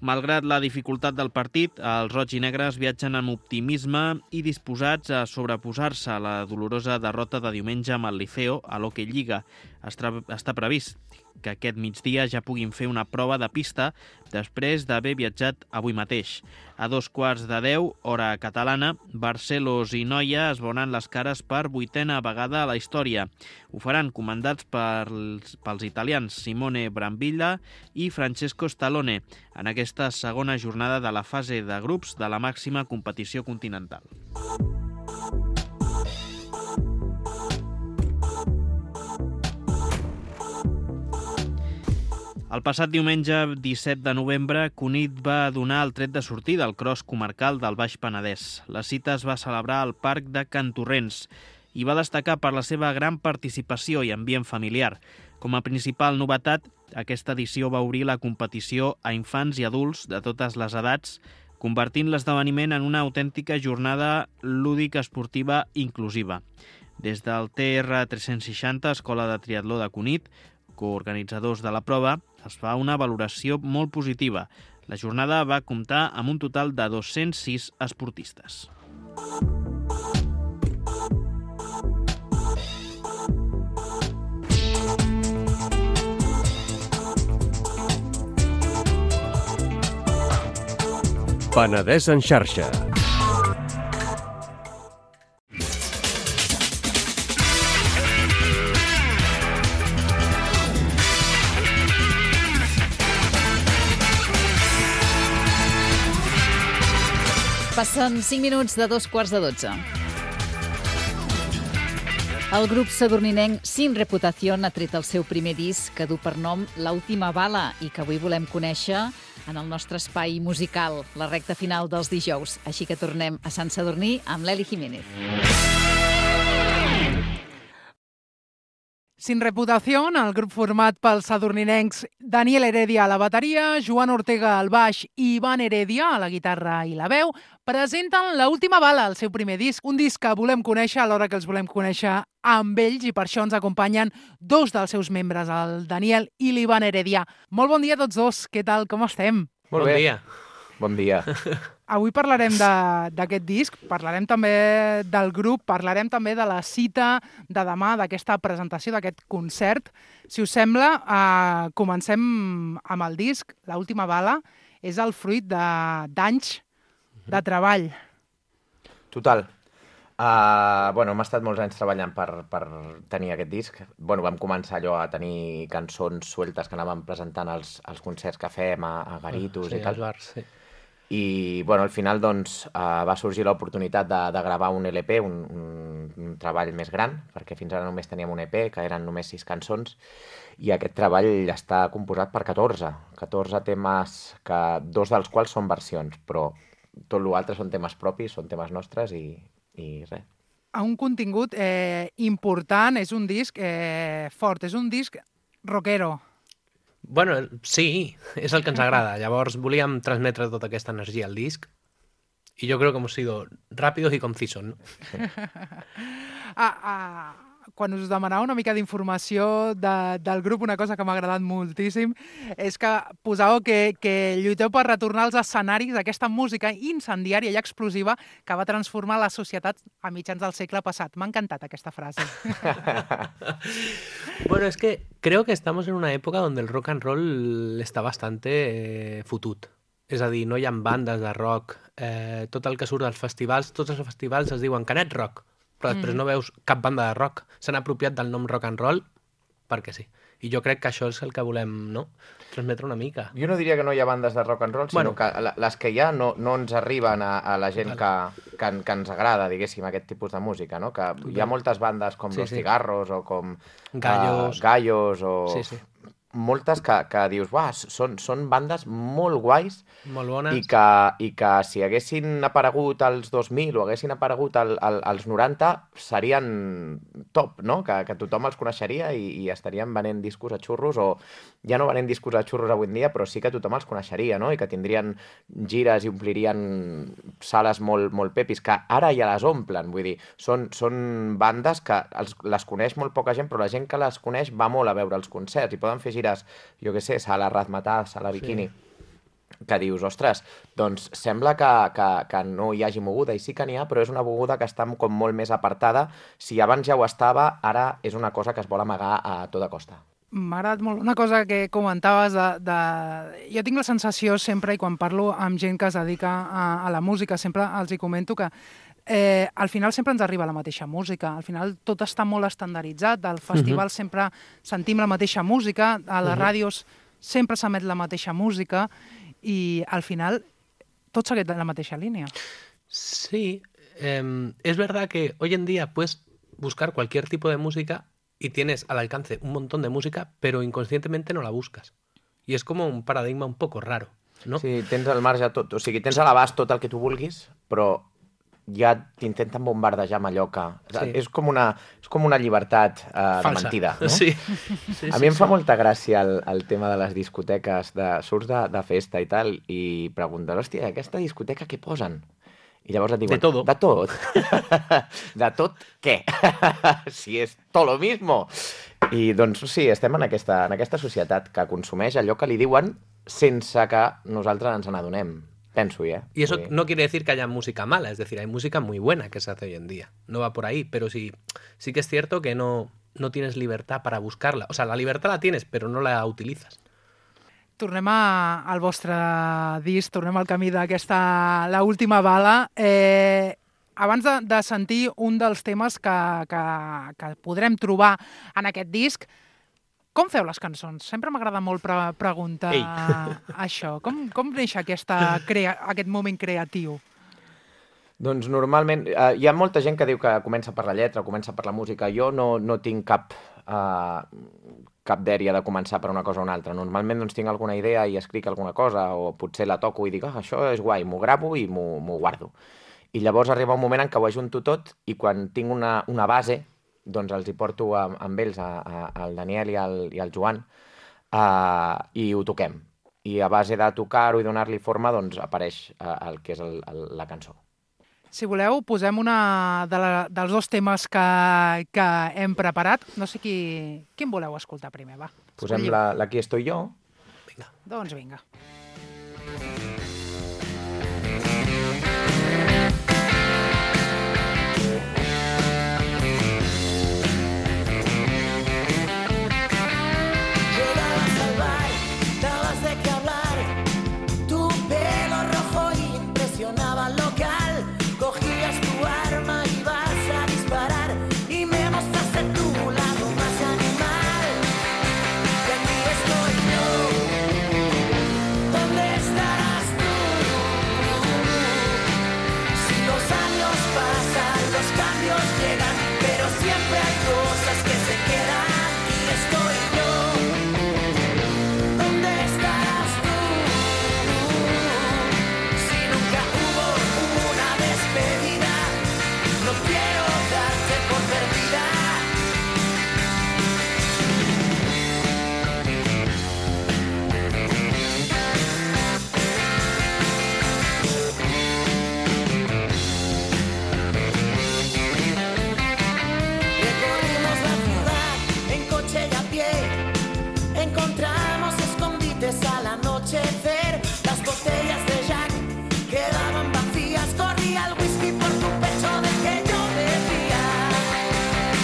[SPEAKER 6] Malgrat la dificultat del partit, els roig i negres viatgen amb optimisme i disposats a sobreposar-se a la dolorosa derrota de diumenge amb el Liceo a l'Hockey Lliga. Està previst que aquest migdia ja puguin fer una prova de pista després d'haver viatjat avui mateix. A 9:15, hora catalana, Barcelos i Noia es veuran les cares per 8a vegada a la història. Ho faran comandats pels italians Simone Brambilla i Francesco Stallone en aquesta segona jornada de la fase de grups de la màxima competició continental. El passat diumenge 17 de novembre, Cunit va donar el tret de sortida al cross comarcal del Baix Penedès. La cita es va celebrar al Parc de Can Torrents i va destacar per la seva gran participació i ambient familiar. Com a principal novetat, aquesta edició va obrir la competició a infants i adults de totes les edats, convertint l'esdeveniment en una autèntica jornada lúdica esportiva inclusiva. Des del TR 360, Escola de Triatló de Cunit, coorganitzadors de la prova, es fa una valoració molt positiva. La jornada va comptar amb un total de 206 esportistes.
[SPEAKER 5] Penedès en xarxa.
[SPEAKER 2] Passen 5 minuts de 2:15. El grup sadurninenc Sin Reputación ha tret el seu primer disc que du per nom L'última bala i que avui volem conèixer en el nostre espai musical, la recta final dels dijous. Així que tornem a Sant Sadurní amb l'Eli Jiménez.
[SPEAKER 7] Sin Reputación, el grup format pels sadurninencs Daniel Heredia a la bateria, Joan Ortega al baix i Ivan Heredia a la guitarra i la veu, presenten La última bala, el seu primer disc. Un disc que volem conèixer alhora que els volem conèixer amb ells i per això ens acompanyen dos dels seus membres, el Daniel i l'Ivan Heredia. Molt bon dia a tots dos, què tal, com estem?
[SPEAKER 8] Molt bé.
[SPEAKER 9] Dia.
[SPEAKER 8] Bon dia.
[SPEAKER 7] Avui parlarem d'aquest disc, parlarem també del grup, parlarem també de la cita de demà, d'aquesta presentació, d'aquest concert. Si us sembla, comencem amb el disc. La última bala és el fruit d'anys de treball.
[SPEAKER 8] Total. Hem estat molts anys treballant per tenir aquest disc. Vam començar allò a tenir cançons sueltes que anàvem presentant als concerts que fem, a garitos i tal.
[SPEAKER 9] Als bars, sí.
[SPEAKER 8] I al final va sorgir l'oportunitat de gravar un LP, un treball més gran, perquè fins ara només teníem un EP, que eren només 6 cançons, i aquest treball està composat per 14 temes, que 2 dels quals són versions, però tot l'altre són temes propis, són temes nostres i res.
[SPEAKER 7] Un contingut important, és un disc fort, és un disc rockero.
[SPEAKER 9] Bueno, sí, és el que ens agrada. Llavors volíem transmetre tota aquesta energia al disc i jo creo que hemos sido rápidos y concisos, ¿no?
[SPEAKER 7] Quan us demanava una mica d'informació del grup, una cosa que m'ha agradat moltíssim és que posàveu que lluiteu per retornar als escenaris aquesta música incendiària i explosiva que va transformar la societat a mitjans del segle passat. M'ha encantat aquesta frase.
[SPEAKER 9] Bueno, es que creo que estamos en una época donde el rock and roll està bastante fotut. És a dir, no hi ha bandes de rock. Tot el que surt dels festivals, tots els festivals es diuen Canet Rock, però després no veus cap banda de rock. S'han apropiat del nom rock and roll perquè sí. I jo crec que això és el que volem, no?, transmetre una mica.
[SPEAKER 8] Jo no diria que no hi ha bandes de rock and roll, sinó que les que hi ha no ens arriben a la gent que ens agrada, diguéssim, aquest tipus de música, no? Que hi ha moltes bandes com Los Cigarros o com Gallos o... moltes que dius, són bandes molt guais,
[SPEAKER 9] molt bones,
[SPEAKER 8] i que si haguessin aparegut als 2000 o haguessin aparegut als 90 serien top, no? Que tothom els coneixeria i estarien venent discos a xurros, o ja no venent discos a xurros avui en dia, però sí que tothom els coneixeria, no? I que tindrien gires i omplirien sales molt pepis, que ara ja les omplen, vull dir, són bandes que les coneix molt poca gent, però la gent que les coneix va molt a veure els concerts i poden fer gires, jo què sé, Sala Razmataz, Sala Bikini, que dius, ostres, doncs sembla que no hi hagi moguda, i sí que n'hi ha, però és una moguda que està com molt més apartada. Si abans ja ho estava, ara és una cosa que es vol amagar a tota costa.
[SPEAKER 7] M'ha agradat molt una cosa que comentaves Jo tinc la sensació sempre, i quan parlo amb gent que es dedica a la música, sempre els hi comento que al final sempre ens arriba la mateixa música, al final tot està molt estandarditzat, al festival sempre sentim la mateixa música, a les ràdios sempre s'emet la mateixa música i al final tot segueix la mateixa línia.
[SPEAKER 9] Sí, es verdad que hoy en día puedes buscar cualquier tipo de música y tienes al alcance un montón de música, pero inconscientemente no la buscas. Y es como un paradigma un poco raro, ¿no?
[SPEAKER 8] Sí, tens al marge tot, o sigui, tens a l'abast tot el que tu vulguis, però ja t'intenten bombardejar amb allò que... És com una llibertat de mentida, no?
[SPEAKER 9] Sí.
[SPEAKER 8] A mi em fa molta gràcia el tema de les discoteques, surts de festa i tal, i preguntes, hòstia, aquesta discoteca què posen? I llavors et diuen...
[SPEAKER 9] De todo.
[SPEAKER 8] De tot? De tot què? Si és tot lo mismo. I doncs sí, estem en aquesta societat que consumeix allò que li diuen sense que nosaltres ens n'adonem. Penso,
[SPEAKER 9] Y eso no quiere decir que haya música mala, es decir, hay música muy buena que se hace hoy en día. No va por ahí, pero sí que es cierto que no tienes libertad para buscarla. O sea, la libertad la tienes, pero no la utilizas.
[SPEAKER 7] Tornem al vostre disc, tornem al camí d'aquesta La última bala. Abans de sentir un dels temes que podrem trobar en aquest disc, com feu les cançons? Sempre m'agrada molt preguntar això. Com neix aquest moment creatiu?
[SPEAKER 8] Doncs normalment hi ha molta gent que diu que comença per la lletra, comença per la música. Jo no tinc cap dèria de començar per una cosa o una altra. Normalment doncs, tinc alguna idea i escric alguna cosa o potser la toco i dic, això és guai, m'ho gravo i m'ho guardo. I llavors arriba un moment en què ho ajunto tot i quan tinc una base, doncs els hi porto amb ells, al Daniel i al Joan, i ho toquem. I a base de tocar-ho i donar-li forma, doncs apareix el que és la cançó.
[SPEAKER 7] Si voleu, posem una dels dos temes que hem preparat. No sé quin voleu escoltar primer, va.
[SPEAKER 8] Posem l'Aquí estoy yo.
[SPEAKER 7] Vinga. Doncs vinga.
[SPEAKER 10] Llegabas al bar, dabas de qué hablar, tu pelo rojo impresionaba al local. Cogías tu arma y vas a disparar y me mostraste tu lado más animal. Y aquí estoy yo, ¿dónde estarás tú? Si los años pasan, los cambios llegan, pero siempre hay cosas que se quedan. Aquí estoy yo, ¿dónde estarás tú? Si nunca hubo una despedida, no quiero darte por perdida. Recorrimos la ciudad en coche y a pie, encontramos escondites al anochecer, las botellas de Jack quedaban vacías, corría el whisky por tu pecho de que yo bebía.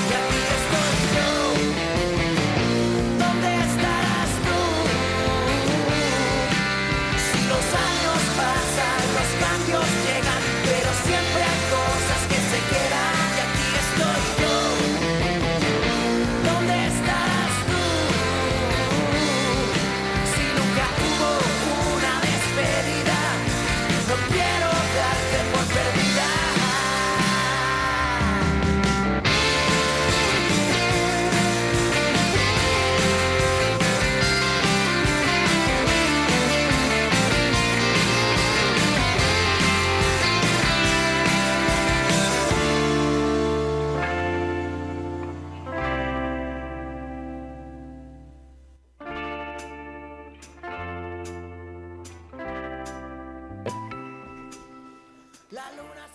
[SPEAKER 10] Y aquí estoy yo, ¿dónde estarás tú? Si los años pasan, los cambios llegan, pero siempre hay cosas que se quedan. Y aquí estoy yo, ¿dónde estarás tú? Si nunca hubo una despedida, no quiero darte por perdida.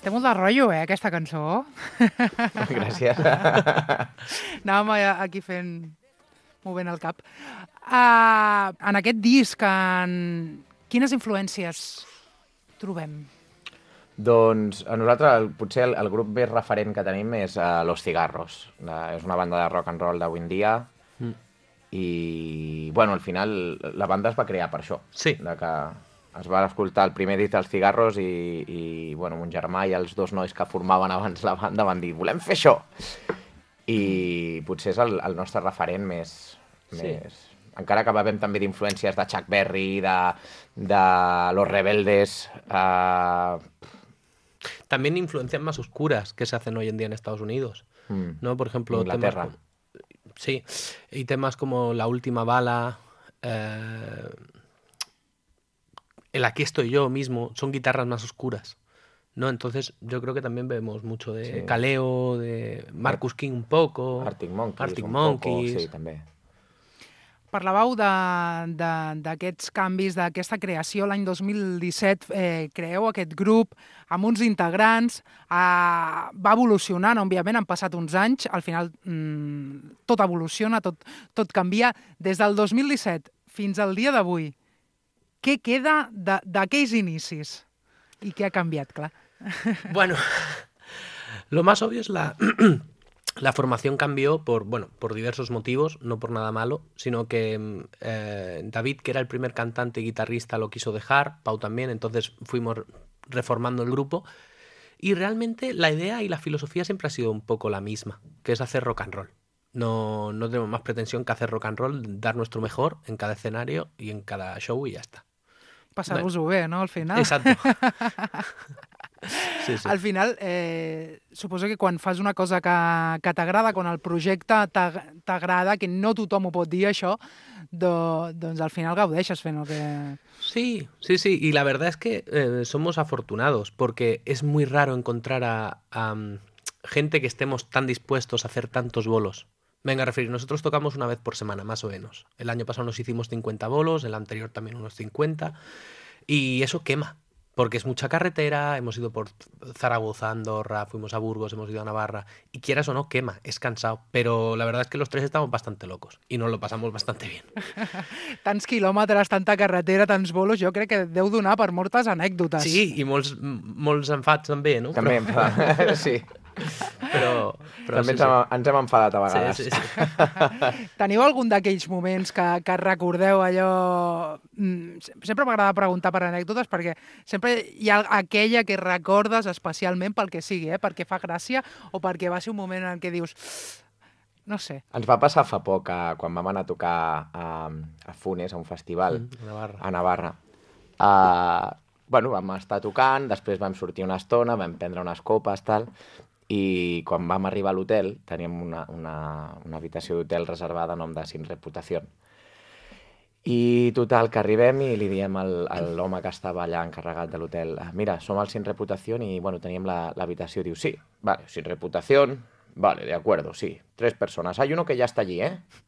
[SPEAKER 7] Té molt de rotllo, aquesta cançó.
[SPEAKER 8] Gràcies.
[SPEAKER 7] Anàvem aquí movent el cap. En aquest disc, quines influències trobem?
[SPEAKER 8] Doncs a nosaltres potser el grup més referent que tenim és Los Cigarros. És una banda de rock and roll d'avui en dia i, bueno, al final la banda es va crear per això.
[SPEAKER 9] Sí.
[SPEAKER 8] De que es va escoltar el primer disc dels Cigarros i bueno, mon germà i els dos nois que formaven abans la banda van dir volem fer això. I potser és el nostre referent més... Encara que bevem també d'influències de Chuck Berry, de Los Rebeldes...
[SPEAKER 9] También influencias más oscuras que se hacen hoy en día en Estados Unidos, ¿no? Por ejemplo,
[SPEAKER 8] Inglaterra.
[SPEAKER 9] Sí, y temas como La Última Bala, el Aquí estoy yo mismo, son guitarras más oscuras, ¿no? Entonces yo creo que también vemos mucho de Kaleo, de Marcus King un poco,
[SPEAKER 8] Arctic Monkeys,
[SPEAKER 9] Monkeys.
[SPEAKER 8] Sí, també.
[SPEAKER 7] Parlàveu d'aquests canvis, d'aquesta creació. L'any 2017 creeu aquest grup amb uns integrants. Va evolucionant, òbviament, han passat uns anys. Al final tot evoluciona, tot canvia. Des del 2017 fins al dia d'avui, què queda d'aquells inicis? I què ha canviat, clar?
[SPEAKER 9] Bueno, lo más obvio es la formación cambió por diversos motivos, no por nada malo, sino que David, que era el primer cantante y guitarrista, lo quiso dejar, Pau también, entonces fuimos reformando el grupo y realmente la idea y la filosofía siempre ha sido un poco la misma, que es hacer rock and roll. No tenemos más pretensión que hacer rock and roll, dar nuestro mejor en cada escenario y en cada show y ya está.
[SPEAKER 7] Passar-vos-ho bé, no?, al final.
[SPEAKER 9] Exacto. Sí, sí.
[SPEAKER 7] Al final, suposo que quan fas una cosa que t'agrada, quan el projecte t'agrada, que no tothom ho pot dir això, doncs al final gaudeixes fent el que...
[SPEAKER 9] Sí, sí, sí. Y la verdad es que somos afortunados porque es muy raro encontrar a gente que estemos tan dispuestos a hacer tantos bolos. Venga, a referir, nosotros tocamos una vez por semana, más o menos. El año pasado nos hicimos 50 bolos, el anterior también unos 50. Y eso quema, porque es mucha carretera, hemos ido por Zaragoza, Andorra, fuimos a Burgos, hemos ido a Navarra, y quieras o no, quema, es cansado. Pero la verdad es que los tres estamos bastante locos y nos lo pasamos bastante bien.
[SPEAKER 7] Tants quilòmetres, tanta carretera, tants bolos, jo crec que deu donar per moltes anècdotes.
[SPEAKER 9] Sí, i molts enfats també, no?
[SPEAKER 8] També sí.
[SPEAKER 9] Però
[SPEAKER 8] també
[SPEAKER 9] sí, sí.
[SPEAKER 8] ens hem enfadat a vegades.
[SPEAKER 9] Sí, sí, sí.
[SPEAKER 7] Teniu algun d'aquells moments que recordeu allò... Sempre m'agrada preguntar per anècdotes perquè sempre hi ha aquella que recordes especialment pel que sigui, perquè fa gràcia o perquè va ser un moment en què dius... No sé.
[SPEAKER 8] Ens va passar fa poc, quan vam anar a tocar a Funes, a un festival, a Navarra. Bueno, vam estar tocant, després vam sortir una estona, vam prendre unes copes, tal, i quan vam arribar a l'hotel teníem una habitació d'hotel reservada a nom de Sin Reputación. I total, que arribem i li diem a l'home que estava allà encarregat de l'hotel, mira, som al Sin Reputación i, bueno, teníem l'habitació. Diu, sí, vale, Sin Reputación, vale, de acuerdo, sí, 3 personas. Hay uno que ya está allí,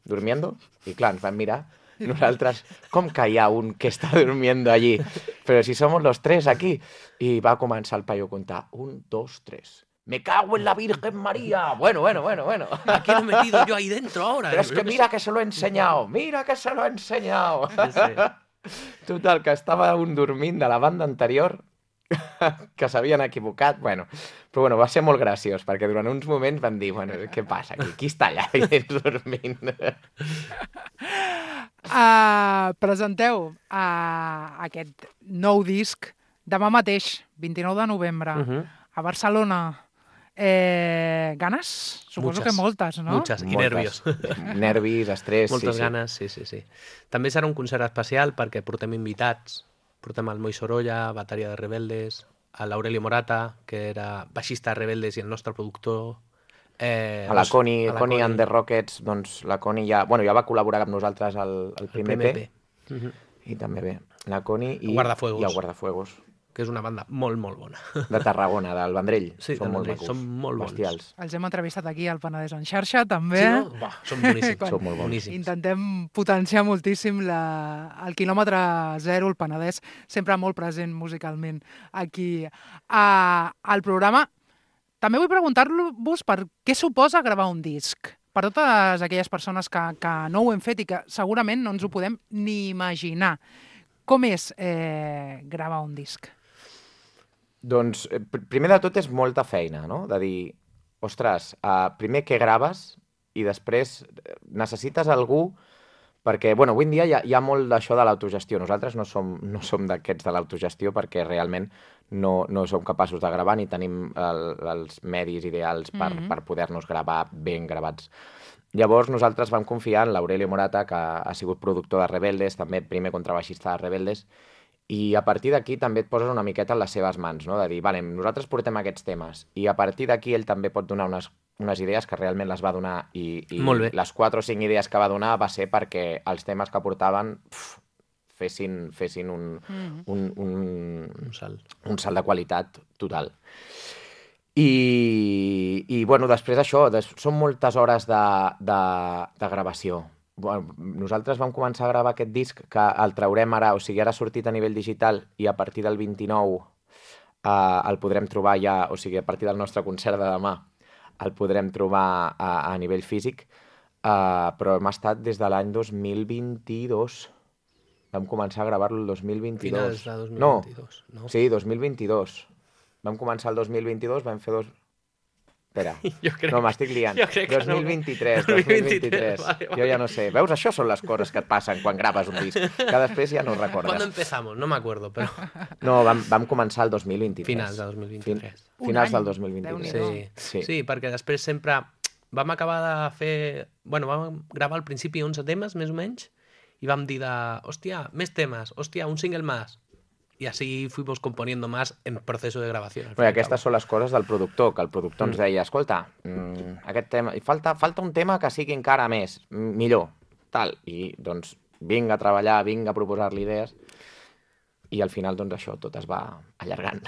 [SPEAKER 8] durmiendo. I clar, ens vam mirar. Nosaltres, com que hi ha un que està durmiendo allí? Però si somos los 3 aquí. I va començar el paio a contar. 1, 2, 3. Me cago en la Virgen María. Bueno.
[SPEAKER 9] ¿A qué lo he metido yo ahí dentro ahora?
[SPEAKER 8] Pero es que mira que se lo he enseñado. Mira que se lo he enseñado.
[SPEAKER 9] Sí.
[SPEAKER 8] Total, que estava un dormint de la banda anterior que s'havien equivocat. Bueno, però bueno, va ser molt graciós, perquè durant uns moments vam dir, bueno, què passa aquí? Qui està allà dormint?
[SPEAKER 7] Presenteu aquest nou disc demà mateix, 29 de novembre, a Barcelona. Ganes? Suposo que moltes, no?
[SPEAKER 9] Muchas, i nervios.
[SPEAKER 8] Nervis, estrès,
[SPEAKER 9] moltes
[SPEAKER 8] sí.
[SPEAKER 9] ganes, sí. També serà un concert especial perquè portem invitats. Portem el Moi Sorolla, bateria de Rebeldes, a l'Aurelio Morata, que era baixista de Rebeldes i el nostre productor.
[SPEAKER 8] A la Connie and the Rockets, doncs la Connie ja va col·laborar amb nosaltres al primer EP. I també bé, la Connie i el Guardafuegos.
[SPEAKER 9] Que és una banda molt, molt bona.
[SPEAKER 8] De Tarragona, del Vendrell.
[SPEAKER 9] Sí,
[SPEAKER 8] són molt macos.
[SPEAKER 9] Són molt bons.
[SPEAKER 8] Bestials.
[SPEAKER 7] Els hem entrevistat aquí al Penedès en xarxa, també.
[SPEAKER 9] Sí, no? Són boníssims.
[SPEAKER 8] Són molt bons.
[SPEAKER 7] Intentem potenciar moltíssim el quilòmetre zero, el Penedès, sempre molt present musicalment aquí al programa. També vull preguntar-vos per què suposa gravar un disc. Per totes aquelles persones que no ho hem fet i que segurament no ens ho podem ni imaginar. Com és gravar un disc?
[SPEAKER 8] Doncs, primer de tot és molta feina, no? De dir, ostres, primer què graves i després necessites algú perquè, bueno, avui en dia hi ha molt d'això de l'autogestió. Nosaltres no som d'aquests de l'autogestió perquè realment no som capaços de gravar ni tenim els medis ideals per poder-nos gravar ben gravats. Llavors nosaltres vam confiar en l'Aurelio Morata, que ha sigut productor de Rebeldes, també primer contrabaixista de Rebeldes, i a partir d'aquí també et poses una miqueta en les seves mans, no? De dir, vale, nosaltres portem aquests temes, i a partir d'aquí ell també pot donar unes idees que realment les va donar, i les 4 o 5 idees que va donar va ser perquè els temes que portaven fessin un salt de qualitat total. I bueno, després això, són moltes hores de gravació. Bueno, nosaltres vam començar a gravar aquest disc que el traurem ara, o sigui, ara ha sortit a nivell digital i a partir del 29 el podrem trobar ja, o sigui, a partir del nostre concert de demà el podrem trobar a nivell físic, però hem estat des de l'any 2022. Vam començar a gravar-lo el 2022.
[SPEAKER 9] Finals de 2022, no?
[SPEAKER 8] Sí, 2022. Vam començar el 2022, vam fer Espera, no, m'estic liant. 2023. Vale. Jo ja no sé. Veus, això són les coses que et passen quan graves un disc, que després ja no recordes.
[SPEAKER 9] ¿Cuándo empezamos? No me acuerdo, pero...
[SPEAKER 8] No, vam començar el 2023.
[SPEAKER 9] Finals del 2023.
[SPEAKER 8] Finals del 2023.
[SPEAKER 9] Sí, perquè després sempre vam acabar de fer... Bueno, vam gravar al principi 11 temes, més o menys, i vam dir hòstia, més temes, hòstia, un single més. Y así fuimos componiendo más en proceso de grabación.
[SPEAKER 8] Bé, aquestes són les coses del productor, que el productor ens deia, escolta, aquest tema, falta un tema que sigui encara més, millor, tal. I doncs vinga a treballar, vinga a proposar-li idees, i al final doncs això tot es va allargant.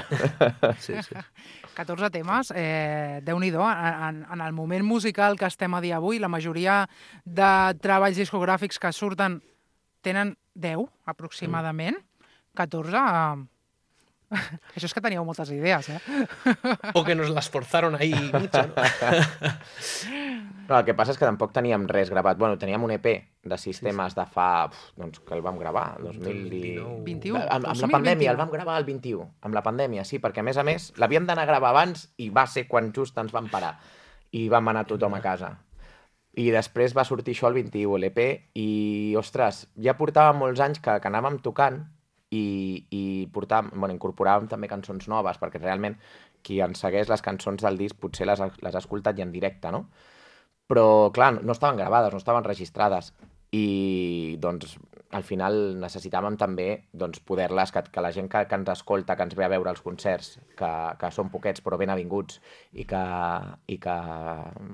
[SPEAKER 9] Sí, sí.
[SPEAKER 7] 14 temes, Déu-n'hi-do, en el moment musical que estem a dia avui, la majoria de treballs discogràfics que surten tenen 10, aproximadament. 14... Això és que teníeu moltes idees,
[SPEAKER 9] O que nos las forzaron ahí mucho, ¿no?
[SPEAKER 8] No, el que passa és que tampoc teníem res gravat. Bueno, teníem un EP de 6 temes de fa... doncs que el vam gravar, 2019...
[SPEAKER 7] 21?
[SPEAKER 8] Amb la pandèmia, el vam gravar el 21, amb la pandèmia, sí, perquè a més l'havíem d'anar a gravar abans i va ser quan just ens vam parar i vam anar tothom a casa. I després va sortir això el 21, l'EP, i, ostres, ja portàvem molts anys que anàvem tocant i incorporàvem també cançons noves, perquè realment qui ens segueix les cançons del disc potser les ha escoltat ja en directe, no? Però, clar, no estaven gravades, no estaven registrades, i doncs al final necessitàvem també doncs, poder-les, que la gent que ens escolta, que ens ve a veure els concerts, que són poquets però ben avinguts i que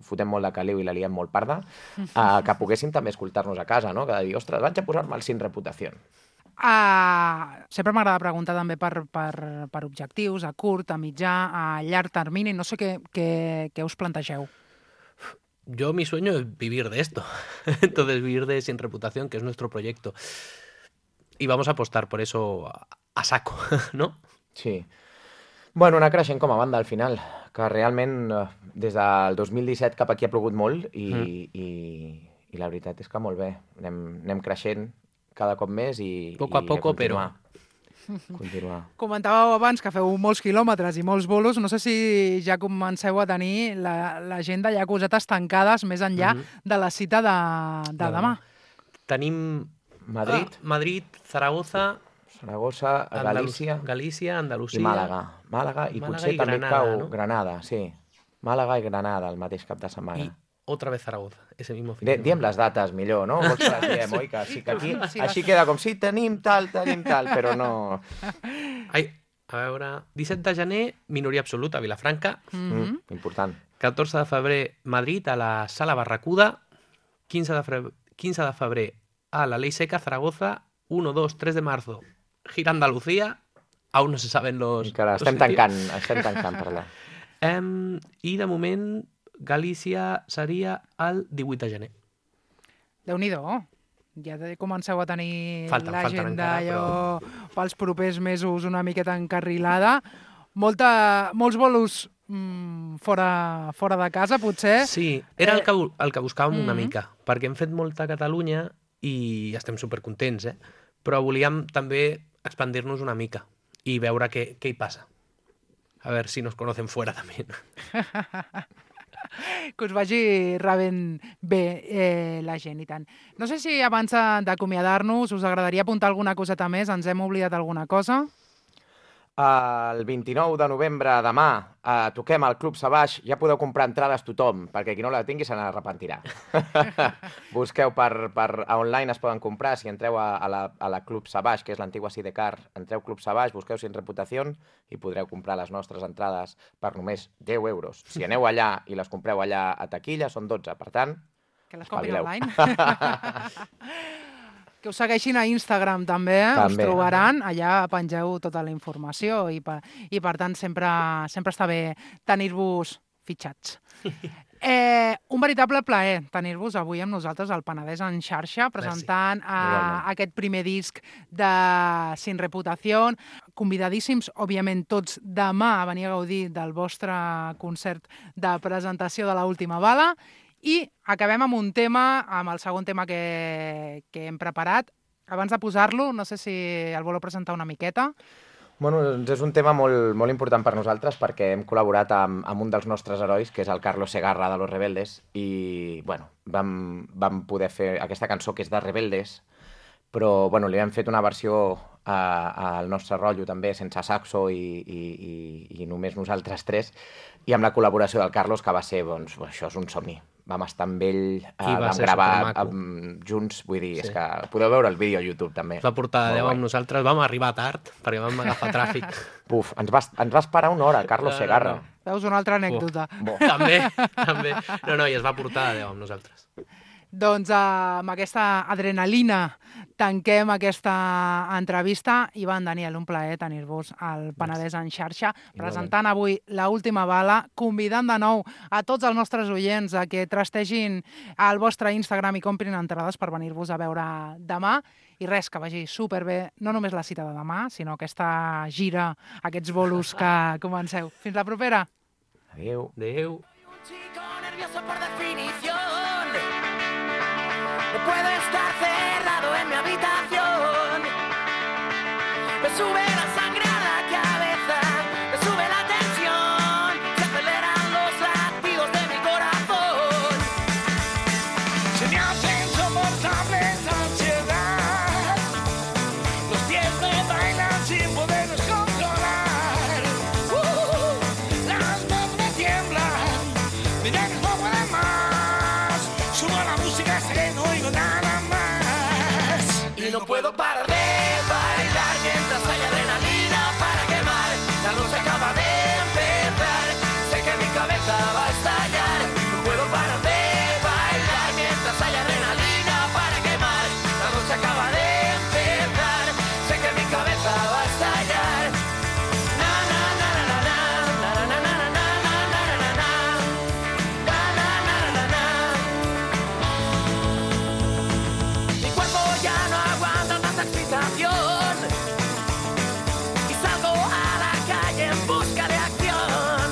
[SPEAKER 8] fotem molt de caliu i la liem molt parda, que poguéssim també escoltar-nos a casa, no? Que de dir, ostres, vaig a posar-me el Sin Reputación.
[SPEAKER 7] Sempre m'agrada preguntar també per objectius, a curt, a mitjà, a llarg termini. No sé què us plantegeu.
[SPEAKER 9] Yo mi sueño es vivir de esto. Entonces vivir de Sin Reputación, que es nuestro proyecto. Y vamos a apostar por eso a saco, ¿no?
[SPEAKER 8] Sí. Bueno, anar creixent com a banda al final, que realment des del 2017 cap aquí ha plogut molt i la veritat és que molt bé. Anem creixent cada cop més i...
[SPEAKER 9] Poco a poco, però...
[SPEAKER 8] Continuar.
[SPEAKER 7] Comentàveu abans que feu molts quilòmetres i molts bolos. No sé si ja comenceu a tenir l'agenda ja cosetes tancades més enllà de la cita de demà.
[SPEAKER 9] Tenim Madrid, Zaragoza, Galícia, Andalusia...
[SPEAKER 8] I Màlaga i potser també cau Granada, sí. Màlaga i Granada el mateix cap de setmana.
[SPEAKER 9] I otra vez Zaragoza, ese mismo fin de semana.
[SPEAKER 8] Diem les dates millor, no? Vols que les diem, oi? Que sí que aquí així queda com si tenim tal, però no...
[SPEAKER 9] Ai, a veure... 17 de gener, minoria absoluta, a Vilafranca.
[SPEAKER 8] Important.
[SPEAKER 9] 14 de febrer, Madrid, a la Sala Barracuda. 15 de febrer, a la Ley Seca, Zaragoza. 1, 2, 3 de marzo, gira Andalucía. Aún no se saben los...
[SPEAKER 8] Encara estem tancant per allà.
[SPEAKER 9] I de moment... Galícia seria el 18 de gener.
[SPEAKER 7] Déu-n'hi-do. Ja comenceu a tenir l'agenda pels propers mesos una miqueta encarrilada. Molts bolos fora de casa, potser.
[SPEAKER 9] Sí, era el que buscàvem una mica, perquè hem fet molta a Catalunya i estem supercontents, però volíem també expandir-nos una mica i veure què hi passa. A veure si nos conocen fuera també.
[SPEAKER 7] Que us vagi rebent bé la gent i tant. No sé si abans d'acomiadar-nos us agradaria apuntar alguna coseta més, ens hem oblidat alguna cosa?
[SPEAKER 8] El 29 de novembre, demà, toquem al Club Savage. Ja podeu comprar entrades tothom, perquè qui no la tingui se n'arrepentirà. Busqueu online, es poden comprar. Si entreu a la Club Savage, que és l'antigua Sidecar, entreu Club Savage, busqueu Sin Reputación i podreu comprar les nostres entrades per només 10 euros. Si aneu allà i les compreu allà a taquilla, són 12. Per tant,
[SPEAKER 7] que les comprin online. Que us segueixin a Instagram també, us trobaran, allà pengeu tota la informació i per tant sempre està bé tenir-vos fitxats. Un veritable plaer tenir-vos avui amb nosaltres al Penedès en xarxa, presentant aquest primer disc de Sin Reputación. Convidadíssims, òbviament, tots demà a venir a gaudir del vostre concert de presentació de l'Última Bala. I acabem amb un tema, amb el segon tema que hem preparat. Abans de posar-lo, no sé si el voleu presentar una miqueta.
[SPEAKER 8] Bueno, és un tema molt important per nosaltres perquè hem col·laborat amb un dels nostres herois, que és el Carlos Segarra de Los Rebeldes, i bueno, vam poder fer aquesta cançó que és de Rebeldes, però bueno, li hem fet una versió al nostre rotllo també, sense saxo i només nosaltres tres, i amb la col·laboració del Carlos, que va ser, doncs, això és un somni. vam estar amb ell,
[SPEAKER 9] va
[SPEAKER 8] vam
[SPEAKER 9] ser
[SPEAKER 8] gravar
[SPEAKER 9] supermaco.
[SPEAKER 8] junts, vull dir, és que podeu veure el vídeo a YouTube també.
[SPEAKER 9] Va portar
[SPEAKER 8] Molt
[SPEAKER 9] 10
[SPEAKER 8] guai.
[SPEAKER 9] amb nosaltres, vam arribar tard, perquè vam agafar tràfic.
[SPEAKER 8] Puf, ens va esperar una hora, Carlos Segarra.
[SPEAKER 7] Veus una altra anècdota.
[SPEAKER 9] També. No, i es va portar 10 amb nosaltres.
[SPEAKER 7] Doncs amb aquesta adrenalina tanquem aquesta entrevista. Ivan, Daniel, un plaer tenir-vos al Penedès en xarxa, presentant avui l'última bala, convidant de nou a tots els nostres oients a que trastegin el vostre Instagram i comprin entrades per venir-vos a veure demà. I res, que vagi superbé, no només la cita de demà, sinó aquesta gira, aquests bolos que comenceu. Fins la propera.
[SPEAKER 8] Adéu.
[SPEAKER 9] Adéu.
[SPEAKER 10] Chico nervioso por definición. No puedo estar cerrado en mi habitación. Me sube la sangre a la cabeza, me sube la tensión, se aceleran los latidos de mi corazón. Se me hace insoportable esta ansiedad. Los pies me bailan sin poderlos controlar. Las manos me tiemblan, me da que no puede más. Subo la música hasta que no oigo nada más. Y no puedo parar de bailar mientras hay adrenalina para quemar. La noche acaba de empezar, sé que mi cabeza va a estallar. No puedo parar de bailar mientras hay adrenalina para quemar. La noche acaba de empezar, sé que mi cabeza va a estallar. Na na na na na na na na na na na na na na. Na na na na na. Mi cuerpo ya no aguanta tanta excitación y salgo a la calle en busca de acción.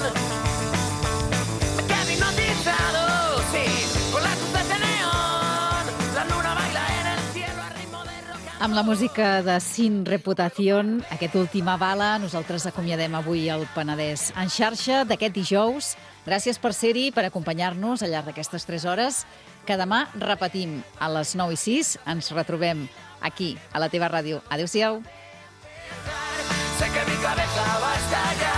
[SPEAKER 10] Me quedo hipnotizado, sí, con las luces de neón. La luna baila en el cielo a ritmo de rock and
[SPEAKER 2] Amb la música de Sin Reputación, aquest Última Bala, nosaltres acomiadem avui el Penedès en xarxa d'aquest dijous. Gràcies per ser-hi, per acompanyar-nos al llarg d'aquestes 3 hores, que demà repetim a les 9 i 6. Ens retrobem aquí, a la teva ràdio. Adéu-siau.
[SPEAKER 10] sé que mi cabeza va a estallar.